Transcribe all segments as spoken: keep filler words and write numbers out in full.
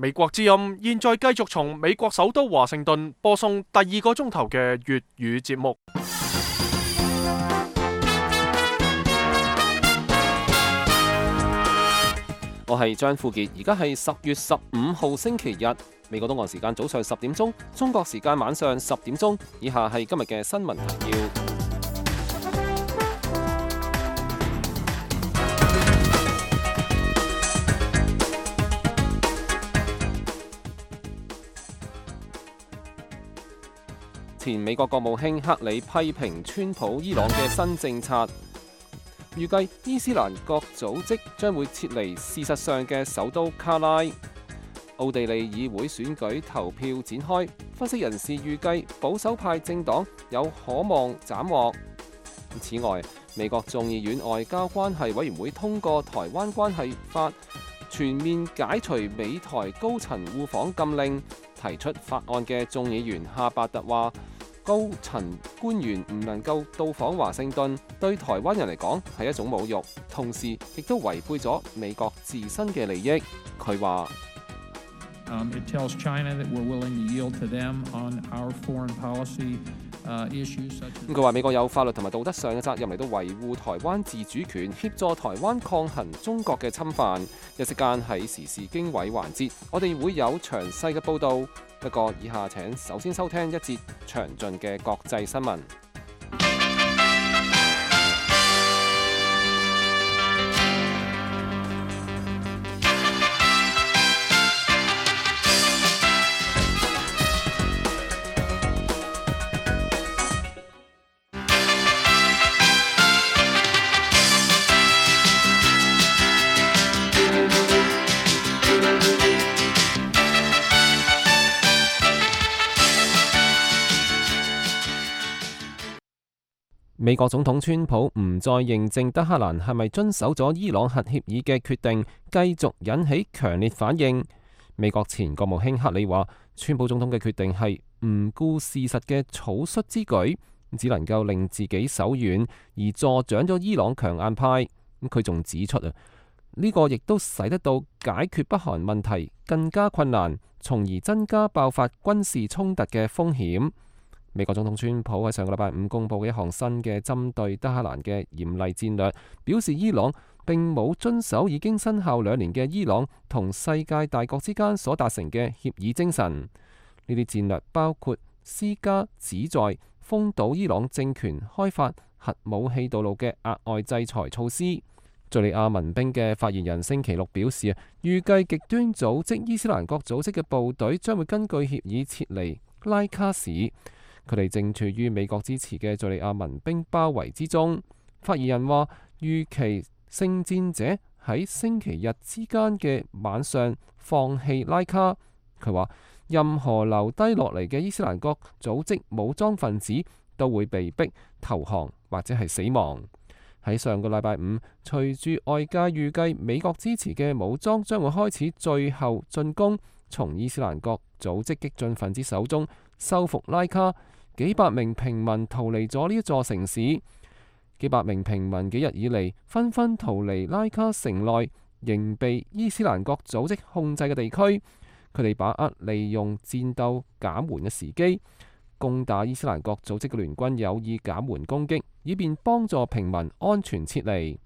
美國之音現在繼續從美國首都華盛頓播送第二個鐘頭嘅粵語節目。我係張富傑，而家係十月十五號星期日，美國東岸時間早上十點鐘，中國時間晚上十點鐘。以下係今日嘅新聞提要。前美國國務卿克里批評川普伊朗嘅新政策，預計伊斯蘭國組織將會撤離事實上嘅首都卡拉。奧地利議會選舉投票展開，分析人士預計保守派政黨有可望斬獲。此外，美國眾議院外交關係委員會通過台灣關係法，全面解除美台高層互訪禁令。提出法案嘅眾議員哈伯特話，高層官員唔能夠到訪華盛頓，對台灣人嚟講係一種侮辱，同時亦都違背咗美國自身嘅利益。佢話：It tells China that we're willing to yield to them on our foreign policy issues. 佢話美國有法律同埋道德上嘅責任嚟到維護台灣自主權，協助台灣抗衡中國嘅侵犯。一息間喺時事經緯環節，我哋會有詳細嘅報導。不過以下請首先收聽一節詳盡嘅國際新聞。美國總統川普唔再認證德黑蘭係咪遵守咗伊朗核協議嘅決定，繼續引起強烈反應。美國前國務卿克里話，川普總統嘅決定係唔顧事實嘅草率之舉，只能夠令自己手軟，而助長咗伊朗強硬派。佢仲指出啊，呢個亦都使得到解決北韓問題更加困難，從而增加爆發軍事衝突嘅風險。美國總統川普喺上個禮拜五公布嘅一項新嘅針對德黑蘭嘅嚴厲戰略，表示伊朗並冇遵守已經生效兩年嘅伊朗同世界大國之間所達成嘅協議精神。呢啲戰略包括施加旨在封堵伊朗政權開發核武器道路嘅額外制裁措施。敘利亞民兵嘅發言人星期六表示，預計極端組織伊斯蘭國組織嘅部隊將會根據協議撤離拉卡市。佢哋正處於美國支持嘅敘利亞民兵包圍之中。發言人話，預期聖戰者喺星期日之間嘅晚上放棄拉卡。佢話，任何留低落嚟嘅伊斯蘭國組織武裝分子都會被逼投降或者係死亡。喺上個禮拜五，隨住外界預計美國支持嘅武裝將會開始最後進攻，從伊斯蘭國組織激進分子手中收復拉卡。幾百名平民逃離咗呢一座城市，幾百名平民幾日以嚟紛紛逃離拉卡城內仍被伊斯蘭國組織控制嘅地區。佢哋把握利用戰鬥減緩嘅時機，攻打伊斯蘭國組織嘅聯軍有意減緩攻擊，以便幫助平民安全撤離。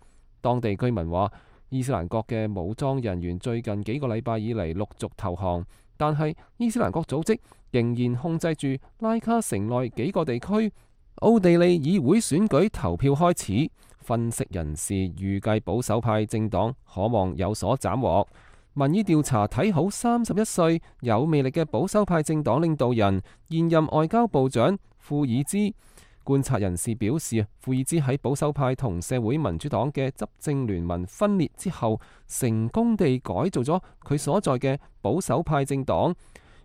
當地居民話，伊斯蘭國嘅武裝人員最近幾個禮拜以嚟陸續投降，但係伊斯蘭國組織仍然控制住拉卡城內幾個地區。奧地利議會選舉投票開始，分析人士預計保守派政黨可望有所斬獲。民意調查睇好三十一歲有魅力嘅保守派政黨領導人現任外交部長庫爾茲。觀察人士表示，庫爾茲喺保守派同社會民主黨嘅執政聯盟分裂之後，成功地改造咗佢所在嘅保守派政黨，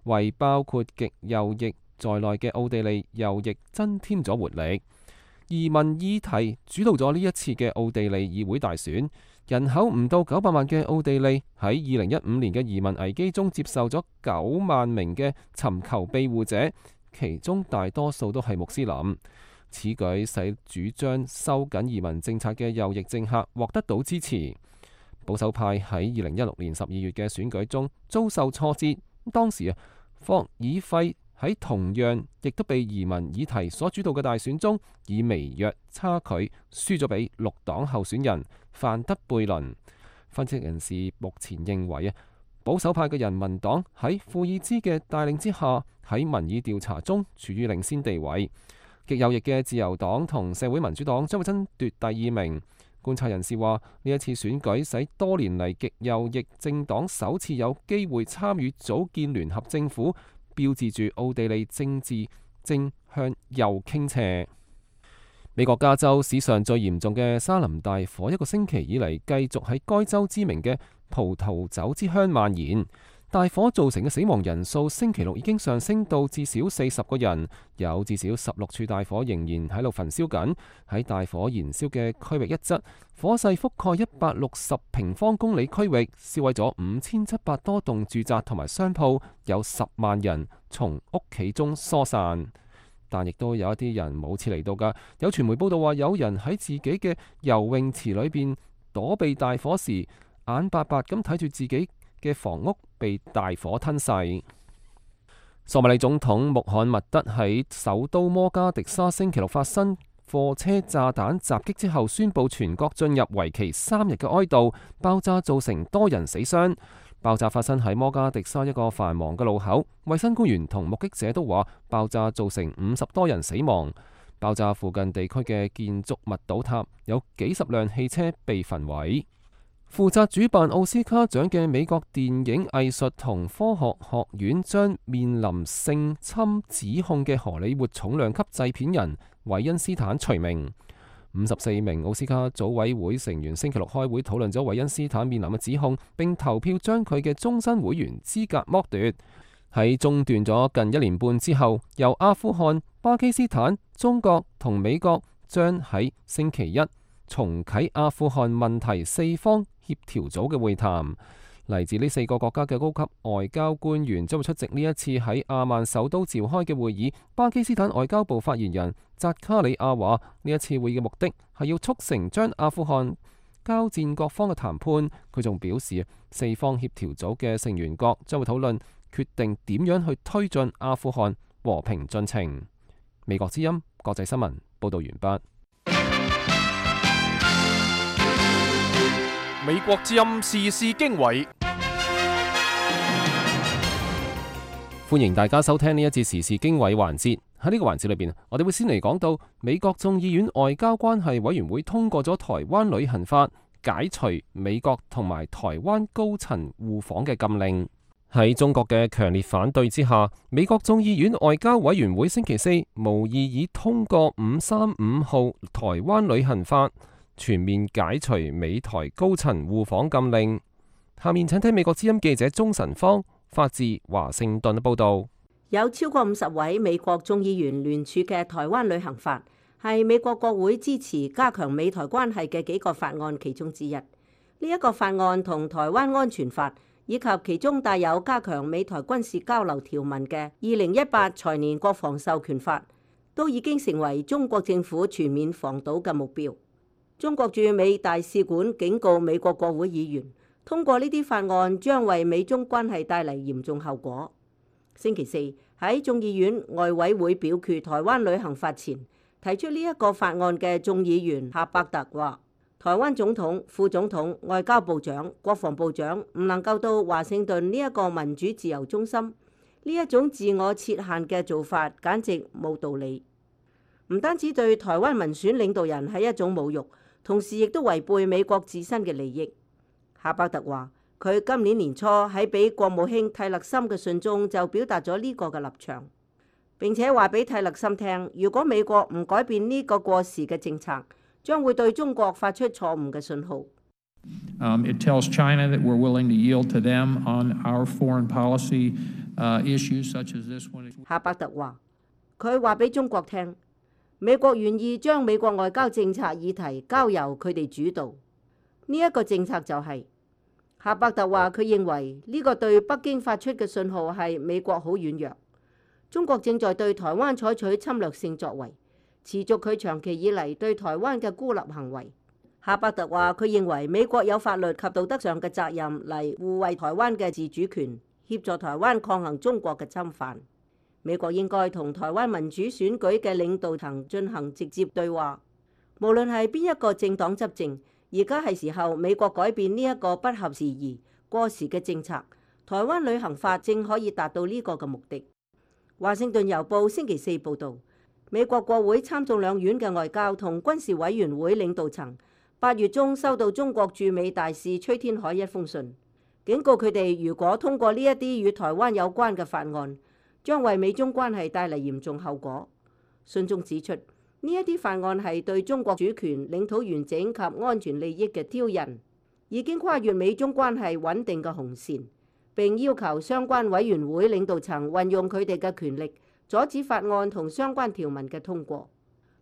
為包括極右翼在內嘅奧地利右翼增添咗活力。移民議題主導咗呢一次嘅奧地利議會大選。人口唔到九百萬嘅奧地利喺二零一五年嘅移民危機中接受咗九萬名嘅尋求庇護者，其中大多數都係穆斯林。此舉使主張收緊移民政策嘅右翼政客獲得到支持。保守派喺二零一六年十二月嘅選舉中遭受挫折，當時啊，霍爾費喺同樣亦都被移民議題所主導嘅大選中，以微弱差距輸咗俾綠黨候選人范德貝倫。分析人士目前認為啊，保守派嘅人民黨喺庫爾茲嘅帶領之下，喺民意調查中處於領先地位。極右翼嘅自由黨同社會民主黨將會爭奪第二名。觀察人士話，呢一次選舉使多年嚟極右翼政黨首次有機會參與組建聯合政府，標誌住奧地利政治正向右傾斜。美國加州史上最嚴重嘅沙林大火，一個星期以嚟繼續喺該州知名嘅葡萄酒之鄉蔓延。大火造成嘅死亡人數星期六已經上升到至少四十個人，有至少十六處大火仍然喺度焚燒緊。喺大火燃燒嘅區域一側，火勢覆蓋一百六十平方公里區域，燒毀咗五千七百多棟住宅同埋商鋪，有十萬人從屋企中疏散。但亦都有一啲人冇撤離到㗎。有傳媒報道話，有人喺自己嘅游泳池裏邊躲避大火時，眼白白咁睇住自己嘅房屋被大火吞噬。索馬里總統穆罕默德喺首都摩加迪沙星期六發生貨車炸彈襲擊之後，宣布全國進入為期三日嘅哀悼。爆炸造成多人死傷。爆炸發生喺摩加迪沙一個繁忙嘅路口，衛生官員同目擊者都話，爆炸造成五十多人死亡。爆炸附近地區嘅建築物倒塌，有幾十輛汽車被焚毀。負責主辦奧斯卡獎嘅美國電影藝術同科學學院將面臨性侵指控嘅荷里活重量級製片人韋恩斯坦除名。五十四名奧斯卡組委會成員星期六開會討論咗韋恩斯坦面臨嘅指控，並投票將佢嘅終身會員資格剝奪。喺中斷咗近一年半之後，由阿富汗、巴基斯坦、中國同美國將喺星期一重啟阿富汗問題四方協調組嘅會談。嚟自呢四個國家嘅高級外交官員將會出席呢一次喺阿曼首都召開嘅會議。巴基斯坦外交部發言人扎卡里亞話：呢一次會議嘅目的係要促成將阿富汗交戰各方嘅談判。佢仲表示，四方協調組嘅成員國將會討論決定點樣去推進阿富汗和平進程。美國之音國際新聞報道完畢。美國之音時事經緯，歡迎大家收聽呢一節時事經緯環節。喺呢個環節裏邊，我哋會先嚟講到美國眾議院外交關係委員會通過咗台灣旅行法，解除美國同埋台灣高層互訪嘅禁令。喺中國嘅強烈反對之下，美國眾議院外交委員會星期四無異議通過五三五號台灣旅行法，全面解除美台高層互訪禁令。下面請睇美國之音記者鍾晨芳發自華盛頓嘅報道。有超過五十位美國眾議員聯署嘅台灣旅行法，係美國國會支持加強美台關係嘅幾個法案其中之一。呢、這、一個法案同台灣安全法以及其中帶有加強美台軍事交流條文嘅二零一八財年國防授權法，都已經成為中國政府全面防堵嘅目標。中國駐美大使館警告美國國會議員，通過呢啲法案將為美中關係帶嚟嚴重後果。星期四喺眾議院外委會表決台灣旅行法前，提出呢一個法案嘅眾議員夏伯特話，台灣總統、副總統、外交部長、國防部長唔能夠到華盛頓呢一個民主自由中心，呢一種自我設限嘅做法簡直冇道理。唔單止對台灣民選領導人係一種侮辱，同時亦都違背美國自身嘅利益。夏伯特話，佢今年年初喺俾國務卿蒂勒森嘅信中就表達咗呢個嘅立場，並且話俾蒂勒森聽，如果美國唔改變呢個過時嘅政策，將會對中國發出錯誤嘅信號。Um, it tells China that we're willing to yield to them on our foreign policy uh, issues such as this one. 夏伯特話，佢話俾中國聽，美國願意將美國外交政策議題交由佢哋主導。呢、這、一個政策就係、是、夏伯特話，佢認為呢個對北京發出嘅信號係美國好軟弱，中國正在對台灣採取侵略性作為，持續佢長期以嚟對台灣嘅孤立行為。夏伯特話：佢認為美國有法律及道德上嘅責任嚟護衛台灣嘅自主權，協助台灣抗衡中國嘅侵犯。美國應該同台灣民主選舉嘅領導層進行直接對話。無論係邊一個政黨執政，而家係時候美國改變呢一個不合時宜、過時嘅政策。台灣旅行法正可以達到呢個嘅目的。華盛頓郵報星期四報導，美國國會參眾兩院嘅外交同軍事委員會領導層八月中收到中國駐美大使崔天凱一封信，警告佢哋如果通過呢一啲與台灣有關嘅法案，將為美中關係帶嚟嚴重後果。信中指出，呢一啲法案係對中國主權、領土完整及安全利益嘅挑釁，已經跨越美中關係穩定嘅紅線，並要求相關委員會領導層運用佢哋嘅權力，阻止法案同相關條文嘅通過。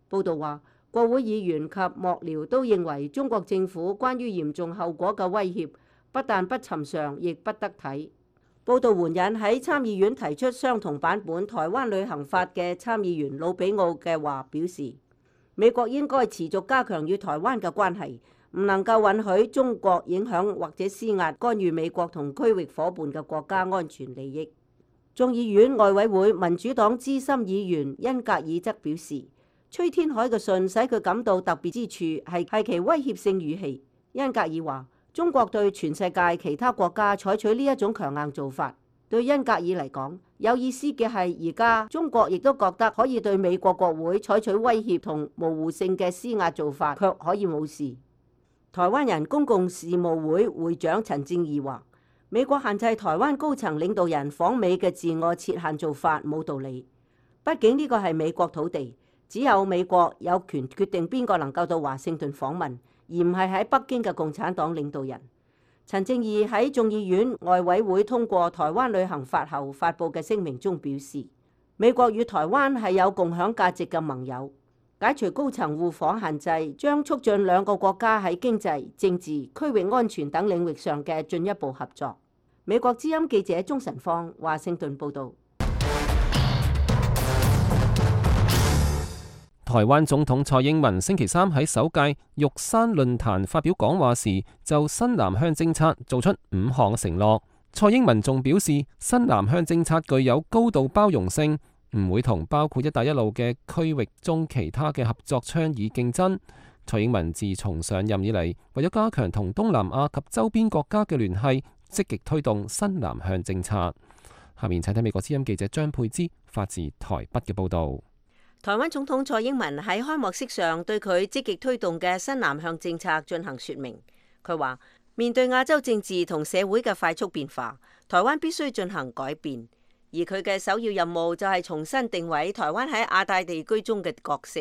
報道話，國會議員及幕僚都認為中國政府關於嚴重後果嘅威脅不但不尋常，亦不得體。報道援引喺參議院提出相同版本台灣旅行法嘅參議員魯比奧嘅話，表示美國應該持續加強與台灣嘅關係，唔能夠允許中國影響或者施壓干預美國同區域夥伴嘅國家安全利益。眾議院外委會民主黨資深議員恩格爾則表示，崔天凱嘅信使佢感到特別之處係係其威脅性語氣。恩格爾話：中國對全世界其他國家採取呢一種強硬做法，對恩格爾嚟講有意思嘅係，而家中國亦都覺得可以對美國國會採取威脅同模糊性嘅施壓做法，卻可以冇事。台灣人公共事務會會長陳正義話：美國限制台灣高層領導人訪美嘅自我設限做法冇道理，畢竟呢個係美國土地。只有美國有權決定邊個能夠到華盛頓訪問，而唔係喺北京嘅共產黨領導人。陳正義喺眾議院外委會通過台灣旅行法後發布嘅聲明中表示，美國與台灣係有共享價值嘅盟友，解除高層互訪限制將促進兩個國家喺經濟、政治、區域安全等領域上嘅進一步合作。美國之音記者鍾晨芳華盛頓報導。台灣總統蔡英文星期三喺首屆玉山論壇發表講話時，就新南向政策做出五項承諾。蔡英文仲表示，新南向政策具有高度包容性，唔會同包括一帶一路嘅區域中其他嘅合作倡議競爭。蔡英文自從上任以嚟，為咗加強同東南亞及周邊國家嘅聯繫，積極推動新南向政策。下面請睇美國之音記者張佩芝發自台北嘅報導。台灣總統蔡英文喺開幕式上對佢積極推動嘅新南向政策進行說明。佢話：面對亞洲政治同社會嘅快速變化，台灣必須進行改變，而佢嘅首要任務就係重新定位台灣喺亞太地區中嘅角色。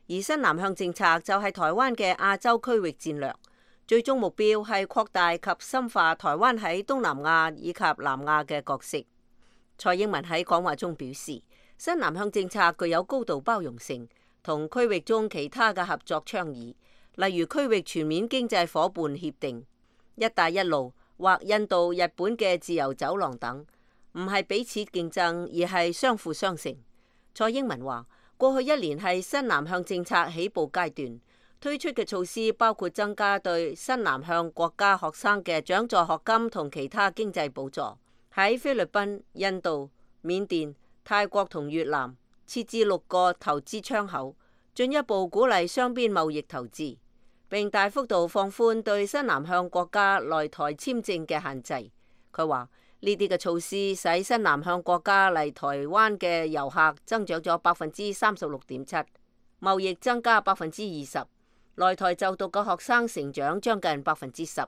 而新南向政策就係台灣嘅亞洲區域戰略，最終目標係擴大及深化台灣喺東南亞以及南亞嘅角色。蔡英文喺講話中表示，新南向政策具有高度包容性，同區域中其他嘅合作倡議，例如區域全面經濟夥伴協定、一帶一路或印度、日本嘅自由走廊等，唔係彼此競爭，而係相輔相成。蔡英文話：過去一年係新南向政策起步階段，推出嘅措施包括增加對新南向國家學生嘅獎助學金同其他經濟補助，喺菲律賓、印度、緬甸、泰國同越南設置六個投資窗口，進一步鼓勵雙邊貿易投資，並大幅度放寬對新南向國家來台簽證嘅限制。佢話呢啲嘅措施使新南向國家嚟台灣嘅遊客增長咗百分之三十六點七，貿易增加百分之二十，來台就讀嘅學生成長將近百分之十。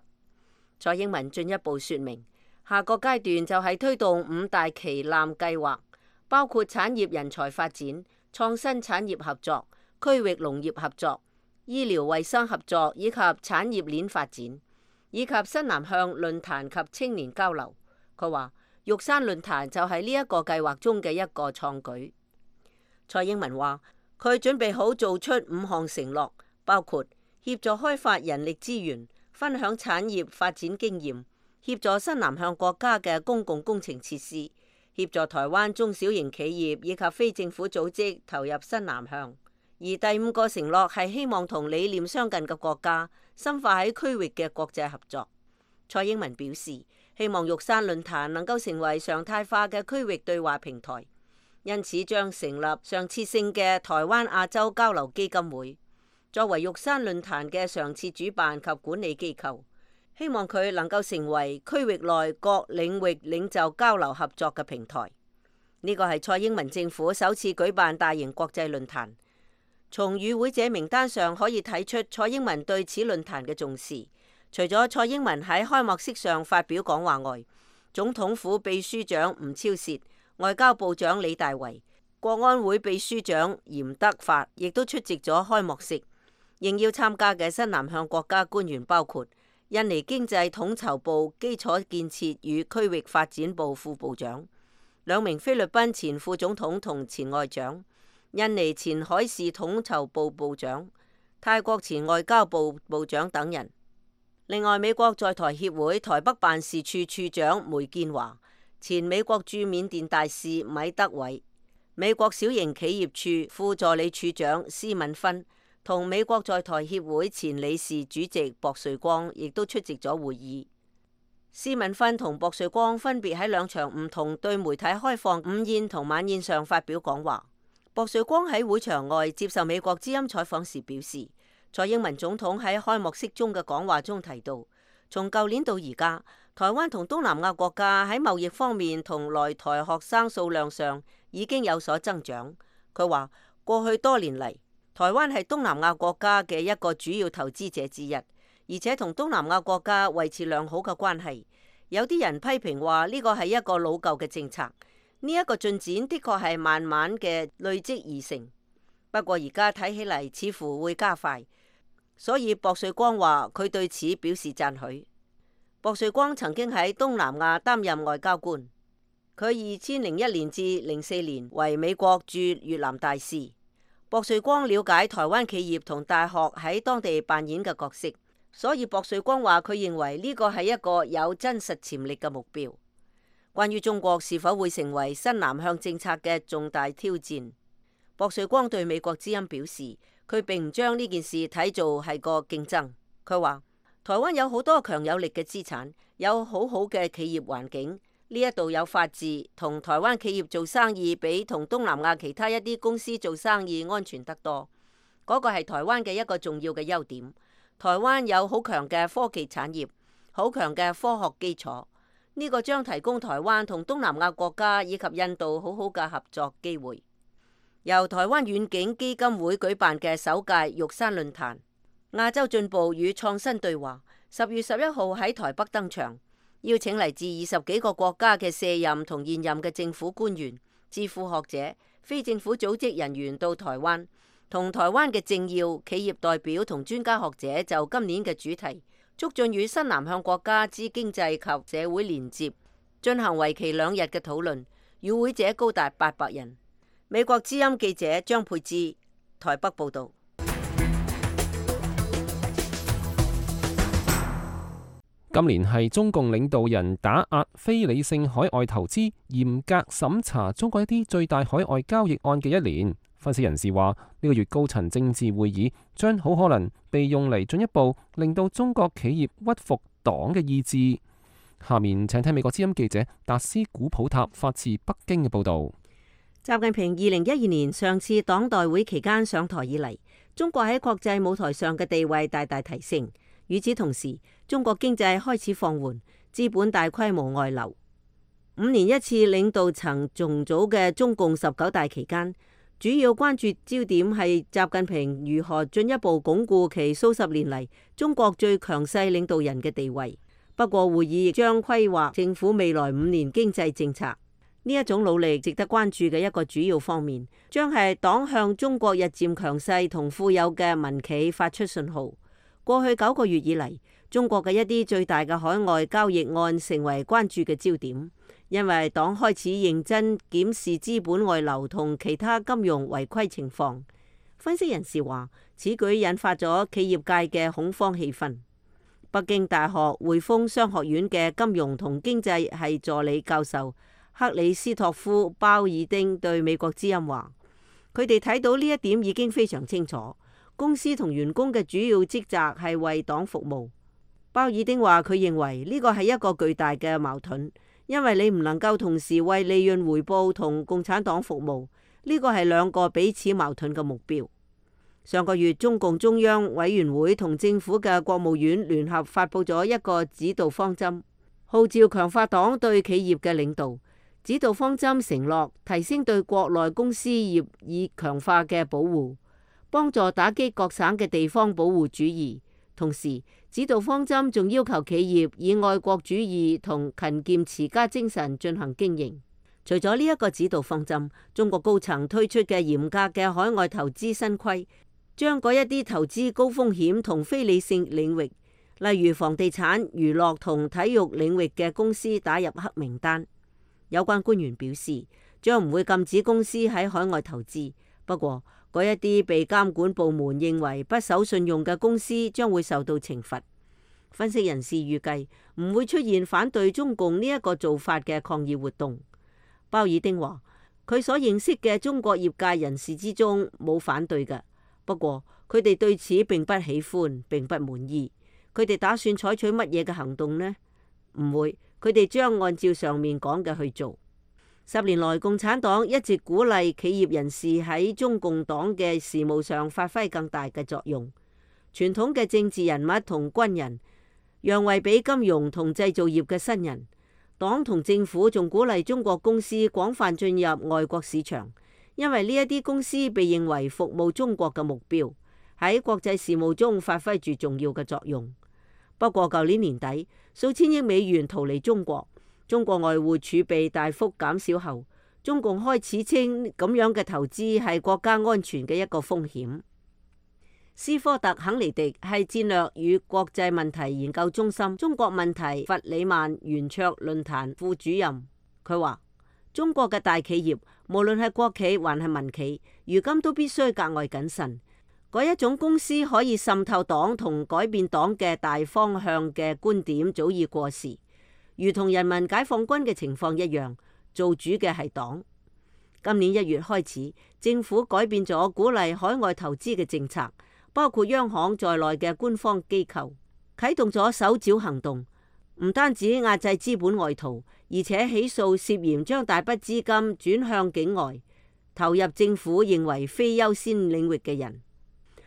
蔡英文進一步說明，下個階段就係推動五大旗艦計劃。包括產業人才發展、創新產業合作、區域農業合作、醫療衛生合作以及產業鏈發展，以及新南向論壇及青年交流。佢話玉山論壇就係呢一個計劃中嘅一個創舉。蔡英文話佢準備好做出五項承諾，包括協助開發人力資源、分享產業發展經驗、協助新南向國家嘅公共工程設施、協助台灣中小型企業以及非政府組織投入新南向，而第五個承諾係希望同理念相近嘅國家深化喺區域嘅國際合作。蔡英文表示，希望玉山論壇能夠成為常態化嘅區域對話平台，因此將成立常設性嘅台灣亞洲交流基金會，作為玉山論壇嘅常設主辦及管理機構，希望佢能夠成為區域內各領域領袖交流合作嘅平台。呢個係蔡英文政府首次舉辦大型國際論壇。從與會者名單上可以睇出蔡英文對此論壇嘅重視。除咗蔡英文喺開幕式上發表講話外，總統府秘書長吳釗燮、外交部長李大維、國安會秘書長嚴德發亦都出席咗開幕式。應邀參加嘅新南向國家官員包括印尼經濟統籌部基礎建設與區域發展部副部長、兩名菲律賓前副總統同前外長、印尼前海事統籌部部長、泰國前外交部部長等人。另外，美國在台協會台北辦事處處長梅建華、前美國駐緬甸大使米德偉、美國小型企業處副助理處長施敏芬同美國在台協會前理事主席薄瑞光亦都出席咗會議。施敏芬同薄瑞光分別喺兩場唔同對媒體開放午宴同晚宴上發表講話。薄瑞光喺會場外接受美國之音採訪時表示，蔡英文總統喺開幕式中嘅講話中提到，從舊年到而家，台灣同東南亞國家喺貿易方面同來台學生數量上已經有所增長。佢話過去多年嚟，台灣係東南亞國家嘅一個主要投資者之一，而且同東南亞國家維持良好嘅關係。有啲人批評話呢個係一個老舊嘅政策，呢一個進展的確係慢慢嘅累積而成。不過而家睇起嚟似乎會加快。所以薄瑞光話佢對此表示讚許。薄瑞光曾經喺東南亞擔任外交官，佢二千零一年至零四年為美國駐越南大使。薄瑞光了解台灣企業同大學喺當地扮演嘅角色，所以薄瑞光話佢認為呢個係一個有真實潛力嘅目標。關於中國是否會成為新南向政策嘅重大挑戰，薄瑞光對美國之音表示，佢並唔將呢件事睇做係個競爭。佢話台灣有好多強有力嘅資產，有好好嘅企業環境，呢一度有法治，同台灣企業做生意比同東南亞其他一啲公司做生意安全得多。嗰個係台灣嘅一個重要嘅優點。台灣有好強嘅科技產業，好強嘅科學基礎，呢個將提供台灣同東南亞國家以及印度好好嘅合作機會。由台灣遠景基金會舉辦嘅首屆玉山論壇亞洲進步與創新對話，十月十一號喺台北登場，邀請嚟自二十幾個國家嘅卸任同現任嘅政府官員、智庫學者、非政府組織人員到台灣，同台灣嘅政要、企業代表同專家學者就今年嘅主題促進與新南向國家之經濟及社會連接進行為期兩日嘅討論，與會者高達八百人。美國之音記者張佩芝台北報道。今年係中共領導人打壓非理性海外投資、嚴格審查中國一啲最大海外交易案嘅一年。分析人士話，呢個月高層政治會議將好可能被用嚟進一步令到中國企業屈服黨嘅意志。下面請聽美國之音記者達斯古普塔發自北京嘅報道。習近平二零一二年上次黨代會期間上台以嚟，中國喺國際舞台上嘅地位大大提升。與此同時，中國經濟開始放緩，資本大規模外流。五年一次領導層重組嘅中共十九大期間，主要關注焦點係習近平如何進一步鞏固其數十年嚟中國最強勢領導人嘅地位。不過會議亦將規劃政府未來五年經濟政策。呢一種努力值得關注嘅一個主要方面，將係黨向中國日漸強勢同富有嘅民企發出信號。過去九個月以嚟，中國嘅一啲最大嘅海外交易案成為關注嘅焦點，因為黨開始認真檢視資本外流同其他金融違規情況。分析人士話，此舉引發咗企業界嘅恐慌氣氛。北京大學匯豐商學院嘅金融同經濟系助理教授克里斯托夫鮑爾丁對美國之音話，佢哋睇到呢一點已經非常清楚。公司同員工嘅主要職責係為黨服務。鮑爾丁話佢認為呢個係一個巨大嘅矛盾，因為你唔能夠同時為利潤回報同共產黨服務，呢個係兩個彼此矛盾嘅目標。上個月，中共中央委員會同政府嘅國務院聯合發佈咗一個指導方針，號召強化黨對企業嘅領導。指導方針承諾提升對國內公司業以強化嘅保護，幫助打擊各省嘅地方保護主義。同時，指導方針仲要求企業以愛國主義同勤儉持家精神進行經營。除咗呢一個指導方針，中國高層推出嘅嚴格嘅海外投資新規，將嗰一啲投資高風險同非理性領域，例如房地產、娛樂同體育領域嘅公司打入黑名單。有關官員表示，將唔會禁止公司喺海外投資，不過嗰一啲被監管部門認為不守信用嘅公司將會受到懲罰。分析人士預計唔會出現反對中共呢一個做法嘅抗議活動。鮑爾丁話，佢所認識嘅中國業界人士之中冇反對嘅，不過佢哋對此並不喜歡，並不滿意。佢哋打算採取乜嘢嘅行動呢？唔會。佢哋將按照上面講嘅去做。十年來，共產黨一直鼓勵企業人士喺中共黨嘅事務上發揮更大嘅作用。傳統嘅政治人物同軍人讓位俾金融同製造業嘅新人。黨同政府仲鼓勵中國公司廣泛進入外國市場，因為呢一啲公司被認為服務中國嘅目標，喺國際事務中發揮住重要嘅作用。不過，舊年年底，數千億美元逃離中國，中國外匯儲備大幅減少後，中共開始稱咁樣嘅投資係國家安全嘅一個風險。斯科特·肯尼迪係戰略與國際問題研究中心中國問題弗里曼圓桌論壇副主任，佢話：中國嘅大企業，無論係國企還係民企，如今都必須格外謹慎。嗰一種公司可以滲透黨同改變黨嘅大方向嘅觀點早已過時，如同人民解放軍嘅情況一樣，做主嘅係黨。今年一月開始，政府改變咗鼓勵海外投資嘅政策，包括央行在內嘅官方機構啟動咗搜剿行動，唔單止壓制資本外逃，而且起訴涉嫌將大筆資金轉向境外，投入政府認為非優先領域嘅人。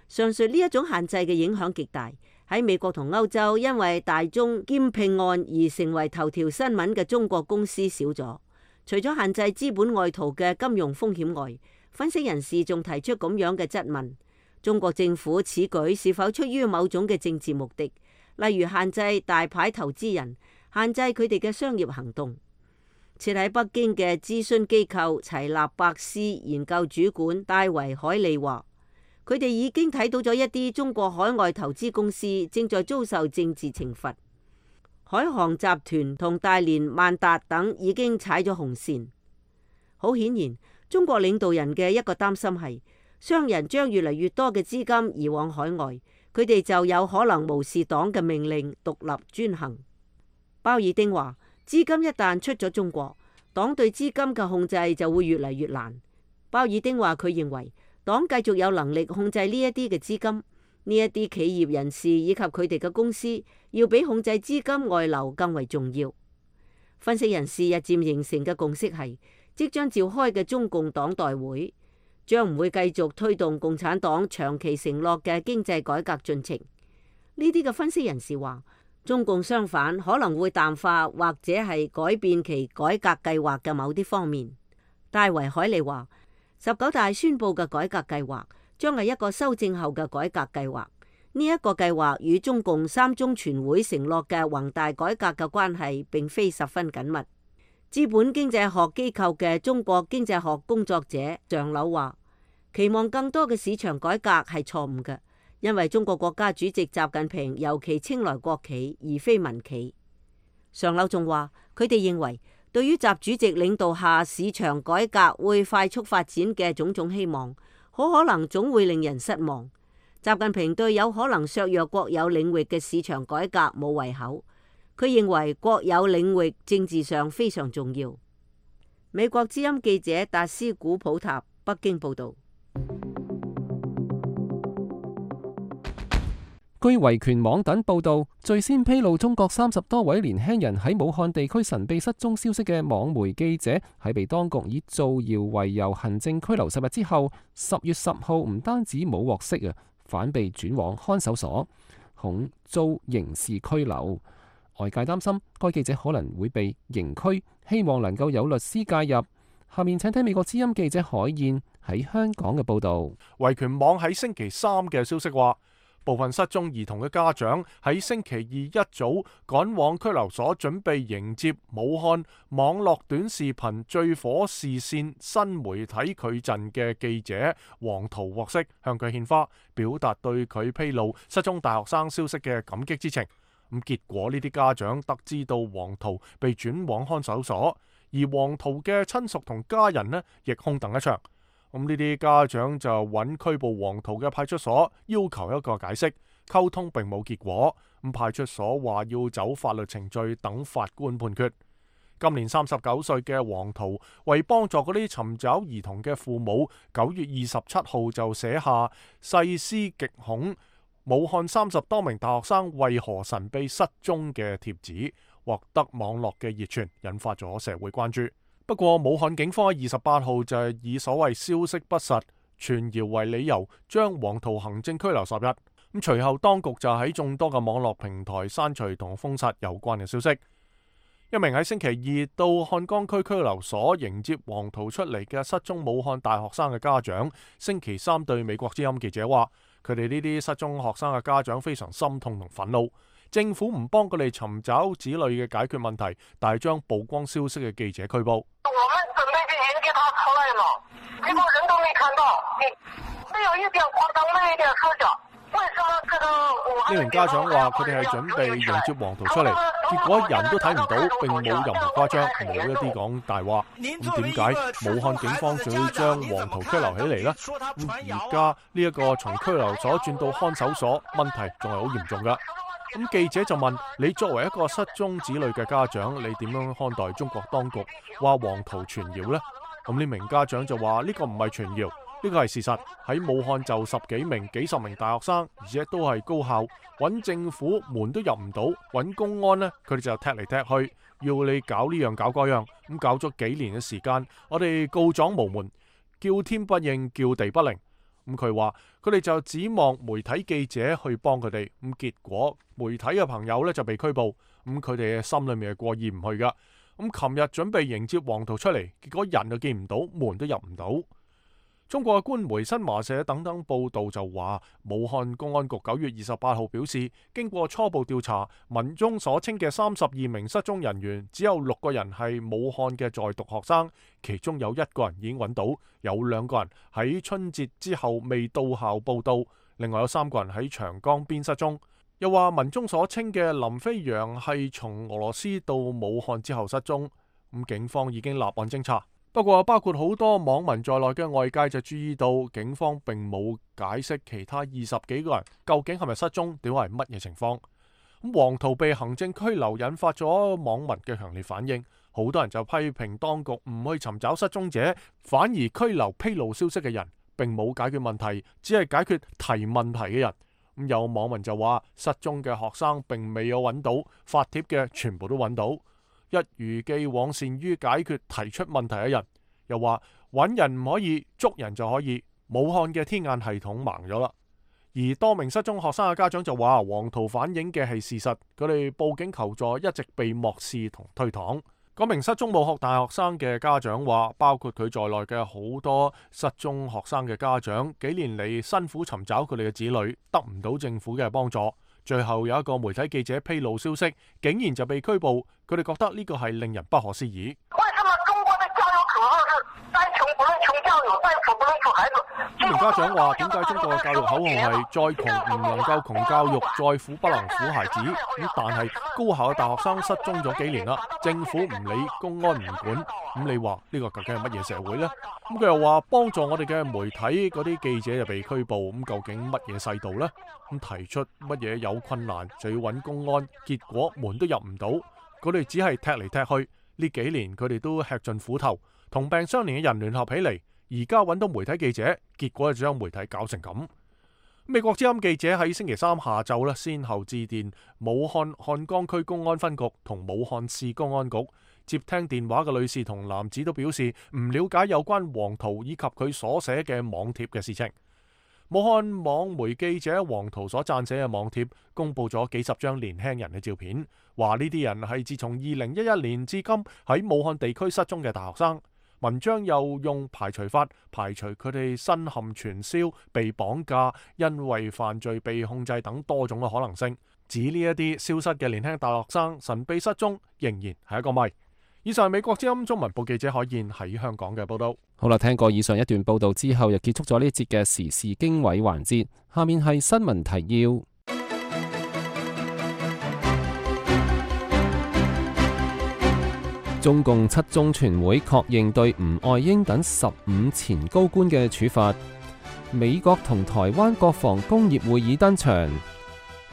上述呢一種限制嘅影響極大，喺美國同歐洲，因為大宗兼併案而成為頭條新聞嘅中國公司少咗。除咗限制資本外逃嘅金融風險外，分析人士仲提出咁樣嘅質問：中國政府此舉是否出於某種嘅政治目的，例如限制大牌投資人，限制佢哋嘅商業行動？設喺北京嘅諮詢機構齊納伯斯研究主管戴維海利話：佢哋已經睇到咗一啲中國海外投資公司正在遭受政治懲罰。海航集團同大連萬達等已經踩咗紅線。好顯然，中國領導人嘅一個擔心係，商人將越嚟越多嘅資金移往海外，佢哋就有可能無視黨嘅命令，獨立專行。鮑爾丁話：資金一旦出咗中國，黨對資金嘅控制就會越嚟越難。鮑爾丁話佢認為，黨繼續有能力控制呢一啲嘅資金，呢一啲企業人士以及佢哋嘅公司，要比控制資金外流更為重要。分析人士日漸形成嘅共識係，即將召開嘅中共黨代會將唔會繼續推動共產黨長期承諾嘅經濟改革進程。呢啲嘅分析人士話，中共相反可能會淡化或者係改變其改革計劃嘅某啲方面。戴維海利話：十九大宣布嘅改革計劃將係一個修正後嘅改革計劃。呢一個計劃與中共三中全會承諾嘅宏大改革嘅關係並非十分緊密。資本經濟學機構嘅中國經濟學工作者尚柳話：期望更多嘅市場改革係錯誤嘅，因為中國國家主席習近平尤其青睞國企而非民企。尚柳仲話，佢哋認為，對於習主席領導下市場改革會快速發展嘅種種希望，好可能總會令人失望。習近平對有可能削弱國有領域嘅市場改革冇胃口，佢認為國有領域政治上非常重要。美國之音記者達斯古普塔北京報道。據維權網等報導，最先披露中國三十多位年輕人喺武漢地區神秘失蹤消息嘅網媒記者，喺被當局以造謠為由行政拘留十日之後，十月十號唔單止冇獲釋啊，反被轉往看守所，恐遭刑事拘留。外界擔心該記者可能會被刑拘，希望能夠有律師介入。下面請睇美國之音記者海燕喺香港嘅報導。維權網喺星期三嘅消息話，部分失蹤兒童嘅家長喺星期二一早趕往拘留所，準備迎接武漢網絡短視頻最火視線新媒體矩陣嘅記者王濤獲釋，向佢獻花，表達對佢披露失蹤大學生消息嘅感激之情。咁結果呢啲家長得知到王濤被轉往看守所，而王濤嘅親屬同家人呢亦空等一場。咁呢啲家長就揾拘捕王濤嘅派出所，要求一個解釋，溝通並冇結果。咁派出所話要走法律程序，等法官判決。今年三十九歲嘅王濤為幫助嗰啲尋找兒童嘅父母，九月二十七號就寫下細思極恐，武漢三十多名大學生為何神秘失蹤嘅帖子，獲得網絡嘅熱傳，引發咗社會關注。不過武漢警方喺二十八號就係以所謂消息不實、傳謠為理由，將王濤行政拘留十日。咁隨後當局就喺眾多嘅網絡平台刪除同封殺有關嘅消息。一名喺星期二到漢江區拘留所迎接王濤出嚟嘅失蹤武漢大學生嘅家長，星期三對美國之音記者話，佢哋呢啲失蹤學生嘅家長非常心痛同憤怒。政府唔幫佢哋尋找子女嘅解決問題，但係將曝光消息嘅記者拘捕。我們準備去迎接他出來嘛，結果人都沒看到，沒有一點誇張，沒有一點說假。為什麼這個？呢名家長話：佢哋係準備迎接王濤出嚟，結果人都睇唔到，並冇任何誇張，冇一啲講大話。咁點解武漢警方就要將王濤拘留起嚟呢？咁而家呢一個從拘留所轉到看守所，問題仲係好嚴重㗎。咁記者就問：你作為一個失蹤子女嘅家長，你點樣看待中國當局話王濤傳謠呢？咁呢名家長就話：呢個唔係傳謠，呢個係事實。喺武漢就十幾名、幾十名大學生，而且都係高校，揾政府門都入唔到，揾公安呢，佢哋就踢嚟踢去，要你搞呢樣搞嗰樣，咁搞咗幾年嘅時間，我哋告狀無門，叫天不應，叫地不靈。咁佢話佢哋就指望媒體記者去幫佢哋，咁結果媒體嘅朋友呢就被拘捕，咁佢哋嘅心裏面係過意唔去噶。咁琴日準備迎接王濤出嚟，結果人就見唔到，門都入唔到。中國嘅官媒新華社等等報道就話，武漢公安局九月二十八號表示，經過初步調查，文中所稱嘅三十二名失蹤人員，只有六個人係武漢嘅在讀學生，其中有一個人已經揾到，有兩個人喺春節之後未到校報到，另外有三個人喺長江邊失蹤。又話文中所稱嘅林飛揚係從俄羅斯到武漢之後失蹤，咁警方已經立案偵查。不過包括好多網民在內嘅外界就注意到，警方並冇解釋其他二十幾個人究竟係咪失蹤，點解係乜嘢情況。咁王濤被行政拘留引發咗網民嘅強烈反應，好多人就批評當局唔去尋找失蹤者，反而拘留披露消息嘅人，並冇解決問題，只係解決提問題嘅人。咁有網民就話，失蹤嘅學生並未有揾到，發帖嘅全部都揾到。一如既往善於解決提出問題嘅人，又話揾人唔可以，捉人就可以。武漢嘅天眼系統盲咗啦。而多名失蹤學生嘅家長就話，王濤反映嘅係事實，佢哋報警求助一直被漠視同推搪。嗰名失蹤武學大學生嘅家長話，包括佢在內嘅好多失蹤學生嘅家長，幾年嚟辛苦尋找佢哋嘅子女，得唔到政府嘅幫助。最後有一個媒體記者披露消息，竟然就被拘捕，佢哋覺得呢個係令人不可思議。為什麼中國的教育口號是再窮不能窮教育，再富不能富孩子？呢名家長話：點解中國嘅教育口號係再窮唔能夠窮教育，再富不能富孩子？咁但係高校嘅大學生失蹤咗幾年啦，政府唔理，公安唔管，咁你話呢個究竟係乜嘢社會呢？咁佢又話幫助我哋嘅媒體嗰啲記者就被拘捕，咁究竟乜嘢世道呢？咁提出乜嘢有困難就要揾公安，結果門都入唔到，佢哋只係踢嚟踢去。呢幾年佢哋都吃盡苦頭，同病相憐嘅人聯合起嚟，而家揾到媒體記者，結果就將媒體搞成咁。美國之音記者喺星期三下晝咧，先後致電武漢漢江區公安分局同武漢市公安局，接聽電話嘅女士同男子都表示唔了解有關黃圖以及佢所寫嘅網貼嘅事情。武漢網媒記者黃圖所撰寫嘅網貼公布咗幾十張年輕人嘅照片，話呢啲人係自從二零一一年至今喺武漢地區失蹤嘅大學生。文章又用排除法排除佢哋身陷傳銷、被綁架、因為犯罪被控制等多種嘅可能性，指呢一啲消失嘅年輕大學生神秘失蹤仍然係一個謎。以上係美國之音中文部記者海燕喺香港嘅報道。好啦，聽過以上一段報道之後，又結束咗呢一節嘅時事經緯環節。下面係新聞提要。中共七中全會確認對吳愛英等十五前高官嘅處罰。美國同台灣國防工業會議登場。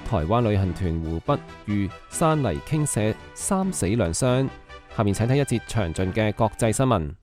台灣旅行團湖北遇山泥傾瀉，三死兩傷。下面請睇一節詳盡嘅國際新聞。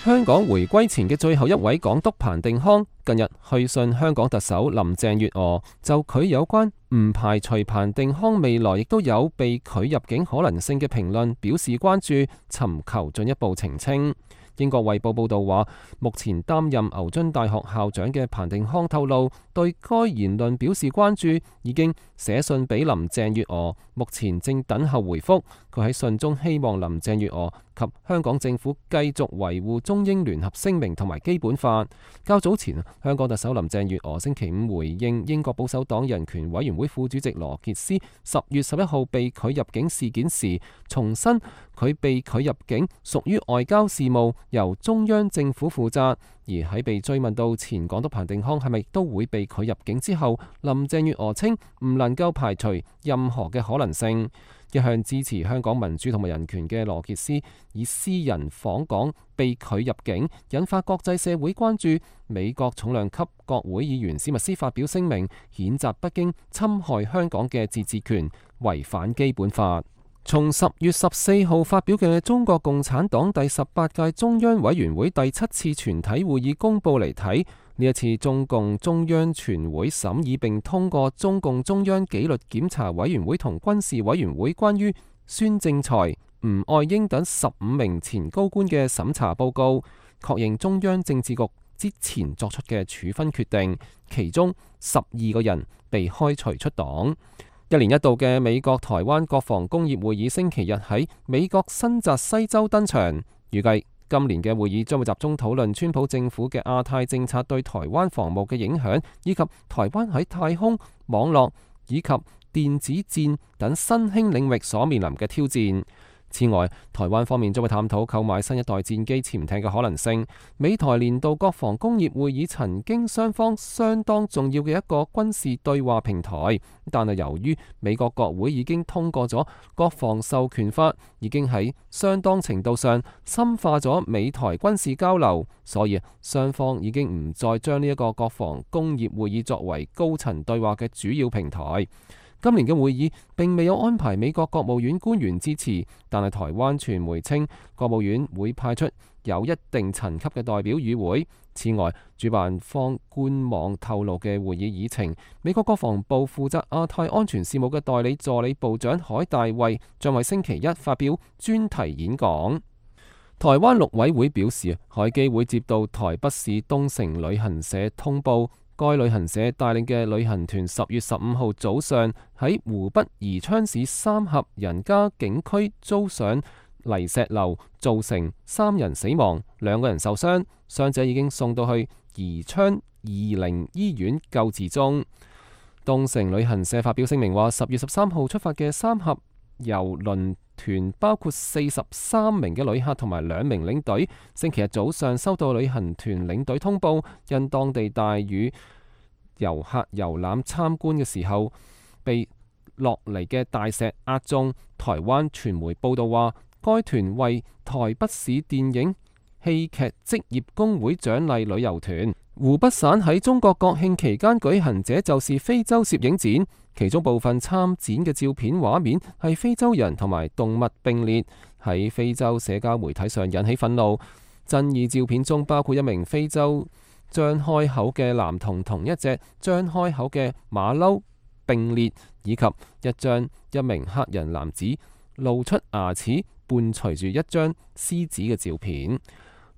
香港回歸前嘅最後一位港督彭定康近日去信香港特首林鄭月娥，就佢有關唔排除彭定康未來亦都有被拒入境可能性嘅評論表示關注，尋求進一步澄清。英國衛報報道話，目前擔任牛津大學校長嘅彭定康透露，對該言論表示關注，已經寫信俾林鄭月娥，目前正等候回覆。佢喺信中希望林鄭月娥及香港政府繼續維護中英聯合聲明同埋基本法。較早前，香港特首林鄭月娥星期五回應英國保守黨人權委員會副主席羅傑斯十月十一號被拒入境事件時，重申佢被拒入境屬於外交事務，由中央政府負責。而喺被追問到前港督彭定康係咪都會被拒入境之後，林鄭月娥稱唔能夠排除任何嘅可能性。一向支持香港民主同埋人權嘅羅傑斯以私人訪港被拒入境，引發國際社會關注。美國重量級國會議員史密斯發表聲明，譴責北京侵害香港嘅自治權，違反基本法。從十月十四號發表嘅中國共產黨第十八屆中央委員會第七次全體會議公報嚟睇，呢一次中共中央全會審議並通過中共中央紀律檢查委員會同軍事委員會關於孫政才、吳愛英等十五名前高官嘅審查報告，確認中央政治局之前作出嘅處分決定，其中十二個人被開除出黨。一年一度嘅美國台灣國防工業會議星期日喺美國新澤西州登場，預計今年嘅會議將會集中討論川普政府嘅亞太政策對台灣防務嘅影響，以及台灣喺太空、網絡以及電子戰等新興領域所面臨嘅挑戰。此外，台灣方面將會探討購買新一代戰機潛艇嘅可能性。美台年度國防工業會議曾經雙方相當重要嘅一個軍事對話平台，但係由於美國國會已經通過咗國防授權法，已經喺相當程度上深化咗美台軍事交流，所以雙方已經唔再將呢一個國防工業會議作為高層對話嘅主要平台。今年嘅會議並未有安排美國國務院官員支持，但係台灣傳媒稱國務院會派出有一定層級嘅代表與會。此外，主辦方官網透露嘅會議議程，美國國防部負責亞太安全事務嘅代理助理部長海大衛將喺星期一發表專題演講。台灣陸委會表示，海基會接到台北市東城旅行社通報，該旅行社帶領嘅旅行團十月十五號早上喺湖北宜昌市三峽人家景區遭上泥石流，造成三人死亡，兩個人受傷，傷者已經送到去宜昌怡寧醫院救治中。東城旅行社發表聲明話，十月十三號出發嘅三峽郵輪團包括四十三名嘅旅客同埋兩名領隊，星期日早上收到旅行團領隊通報，因當地大雨，遊客遊覽參觀嘅時候被落嚟嘅大石壓中。台灣傳媒報道話，該團為台北市電影戲劇職業工會獎勵旅遊團。湖北省喺中國國慶期間舉行這就是非洲攝影展，其中部分參展嘅照片畫面係非洲人同埋動物並列，喺非洲社交媒體上引起憤怒。爭議照片中包括一名非洲張開口嘅男童同一隻張開口嘅馬騮並列，以及一張一名黑人男子露出牙齒伴隨住一張獅子嘅照片。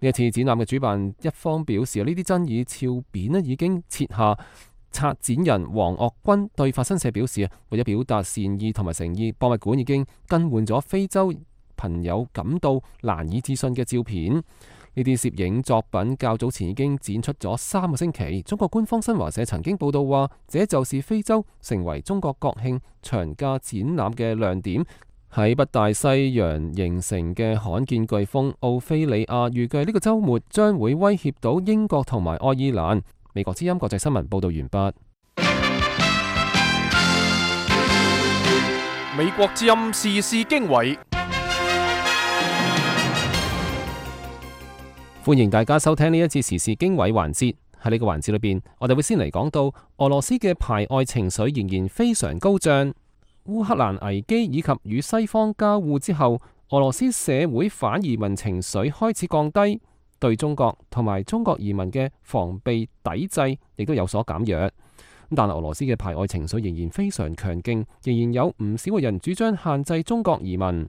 呢一次展覽嘅主辦一方表示，呢啲爭議照片咧已經撤下。策展人黃岳軍對法新社表示，為咗表達善意同埋誠意，博物館已經更換咗非洲朋友感到難以置信嘅照片。呢啲攝影作品較早前已經展出咗三個星期。中國官方新華社曾經報道話，這就是非洲成為中國國慶長假展覽嘅亮點。喺北大西洋形成嘅罕見颶風奧菲利亞預計呢個週末將會威脅到英國同埋愛爾蘭。美國之音國際新聞報道完畢。美國之音時事經緯，歡迎大家收聽呢一次時事經緯環節。喺呢個環節裏邊，我哋會先嚟講到俄羅斯嘅排外情緒仍然非常高漲。烏克蘭危機以及與西方交惡之後，俄羅斯社會反移民情緒開始降低，對中國同埋中國移民嘅防備抵制亦都有所減弱。但係俄羅斯嘅排外情緒仍然非常強勁，仍然有唔少嘅人主張限制中國移民。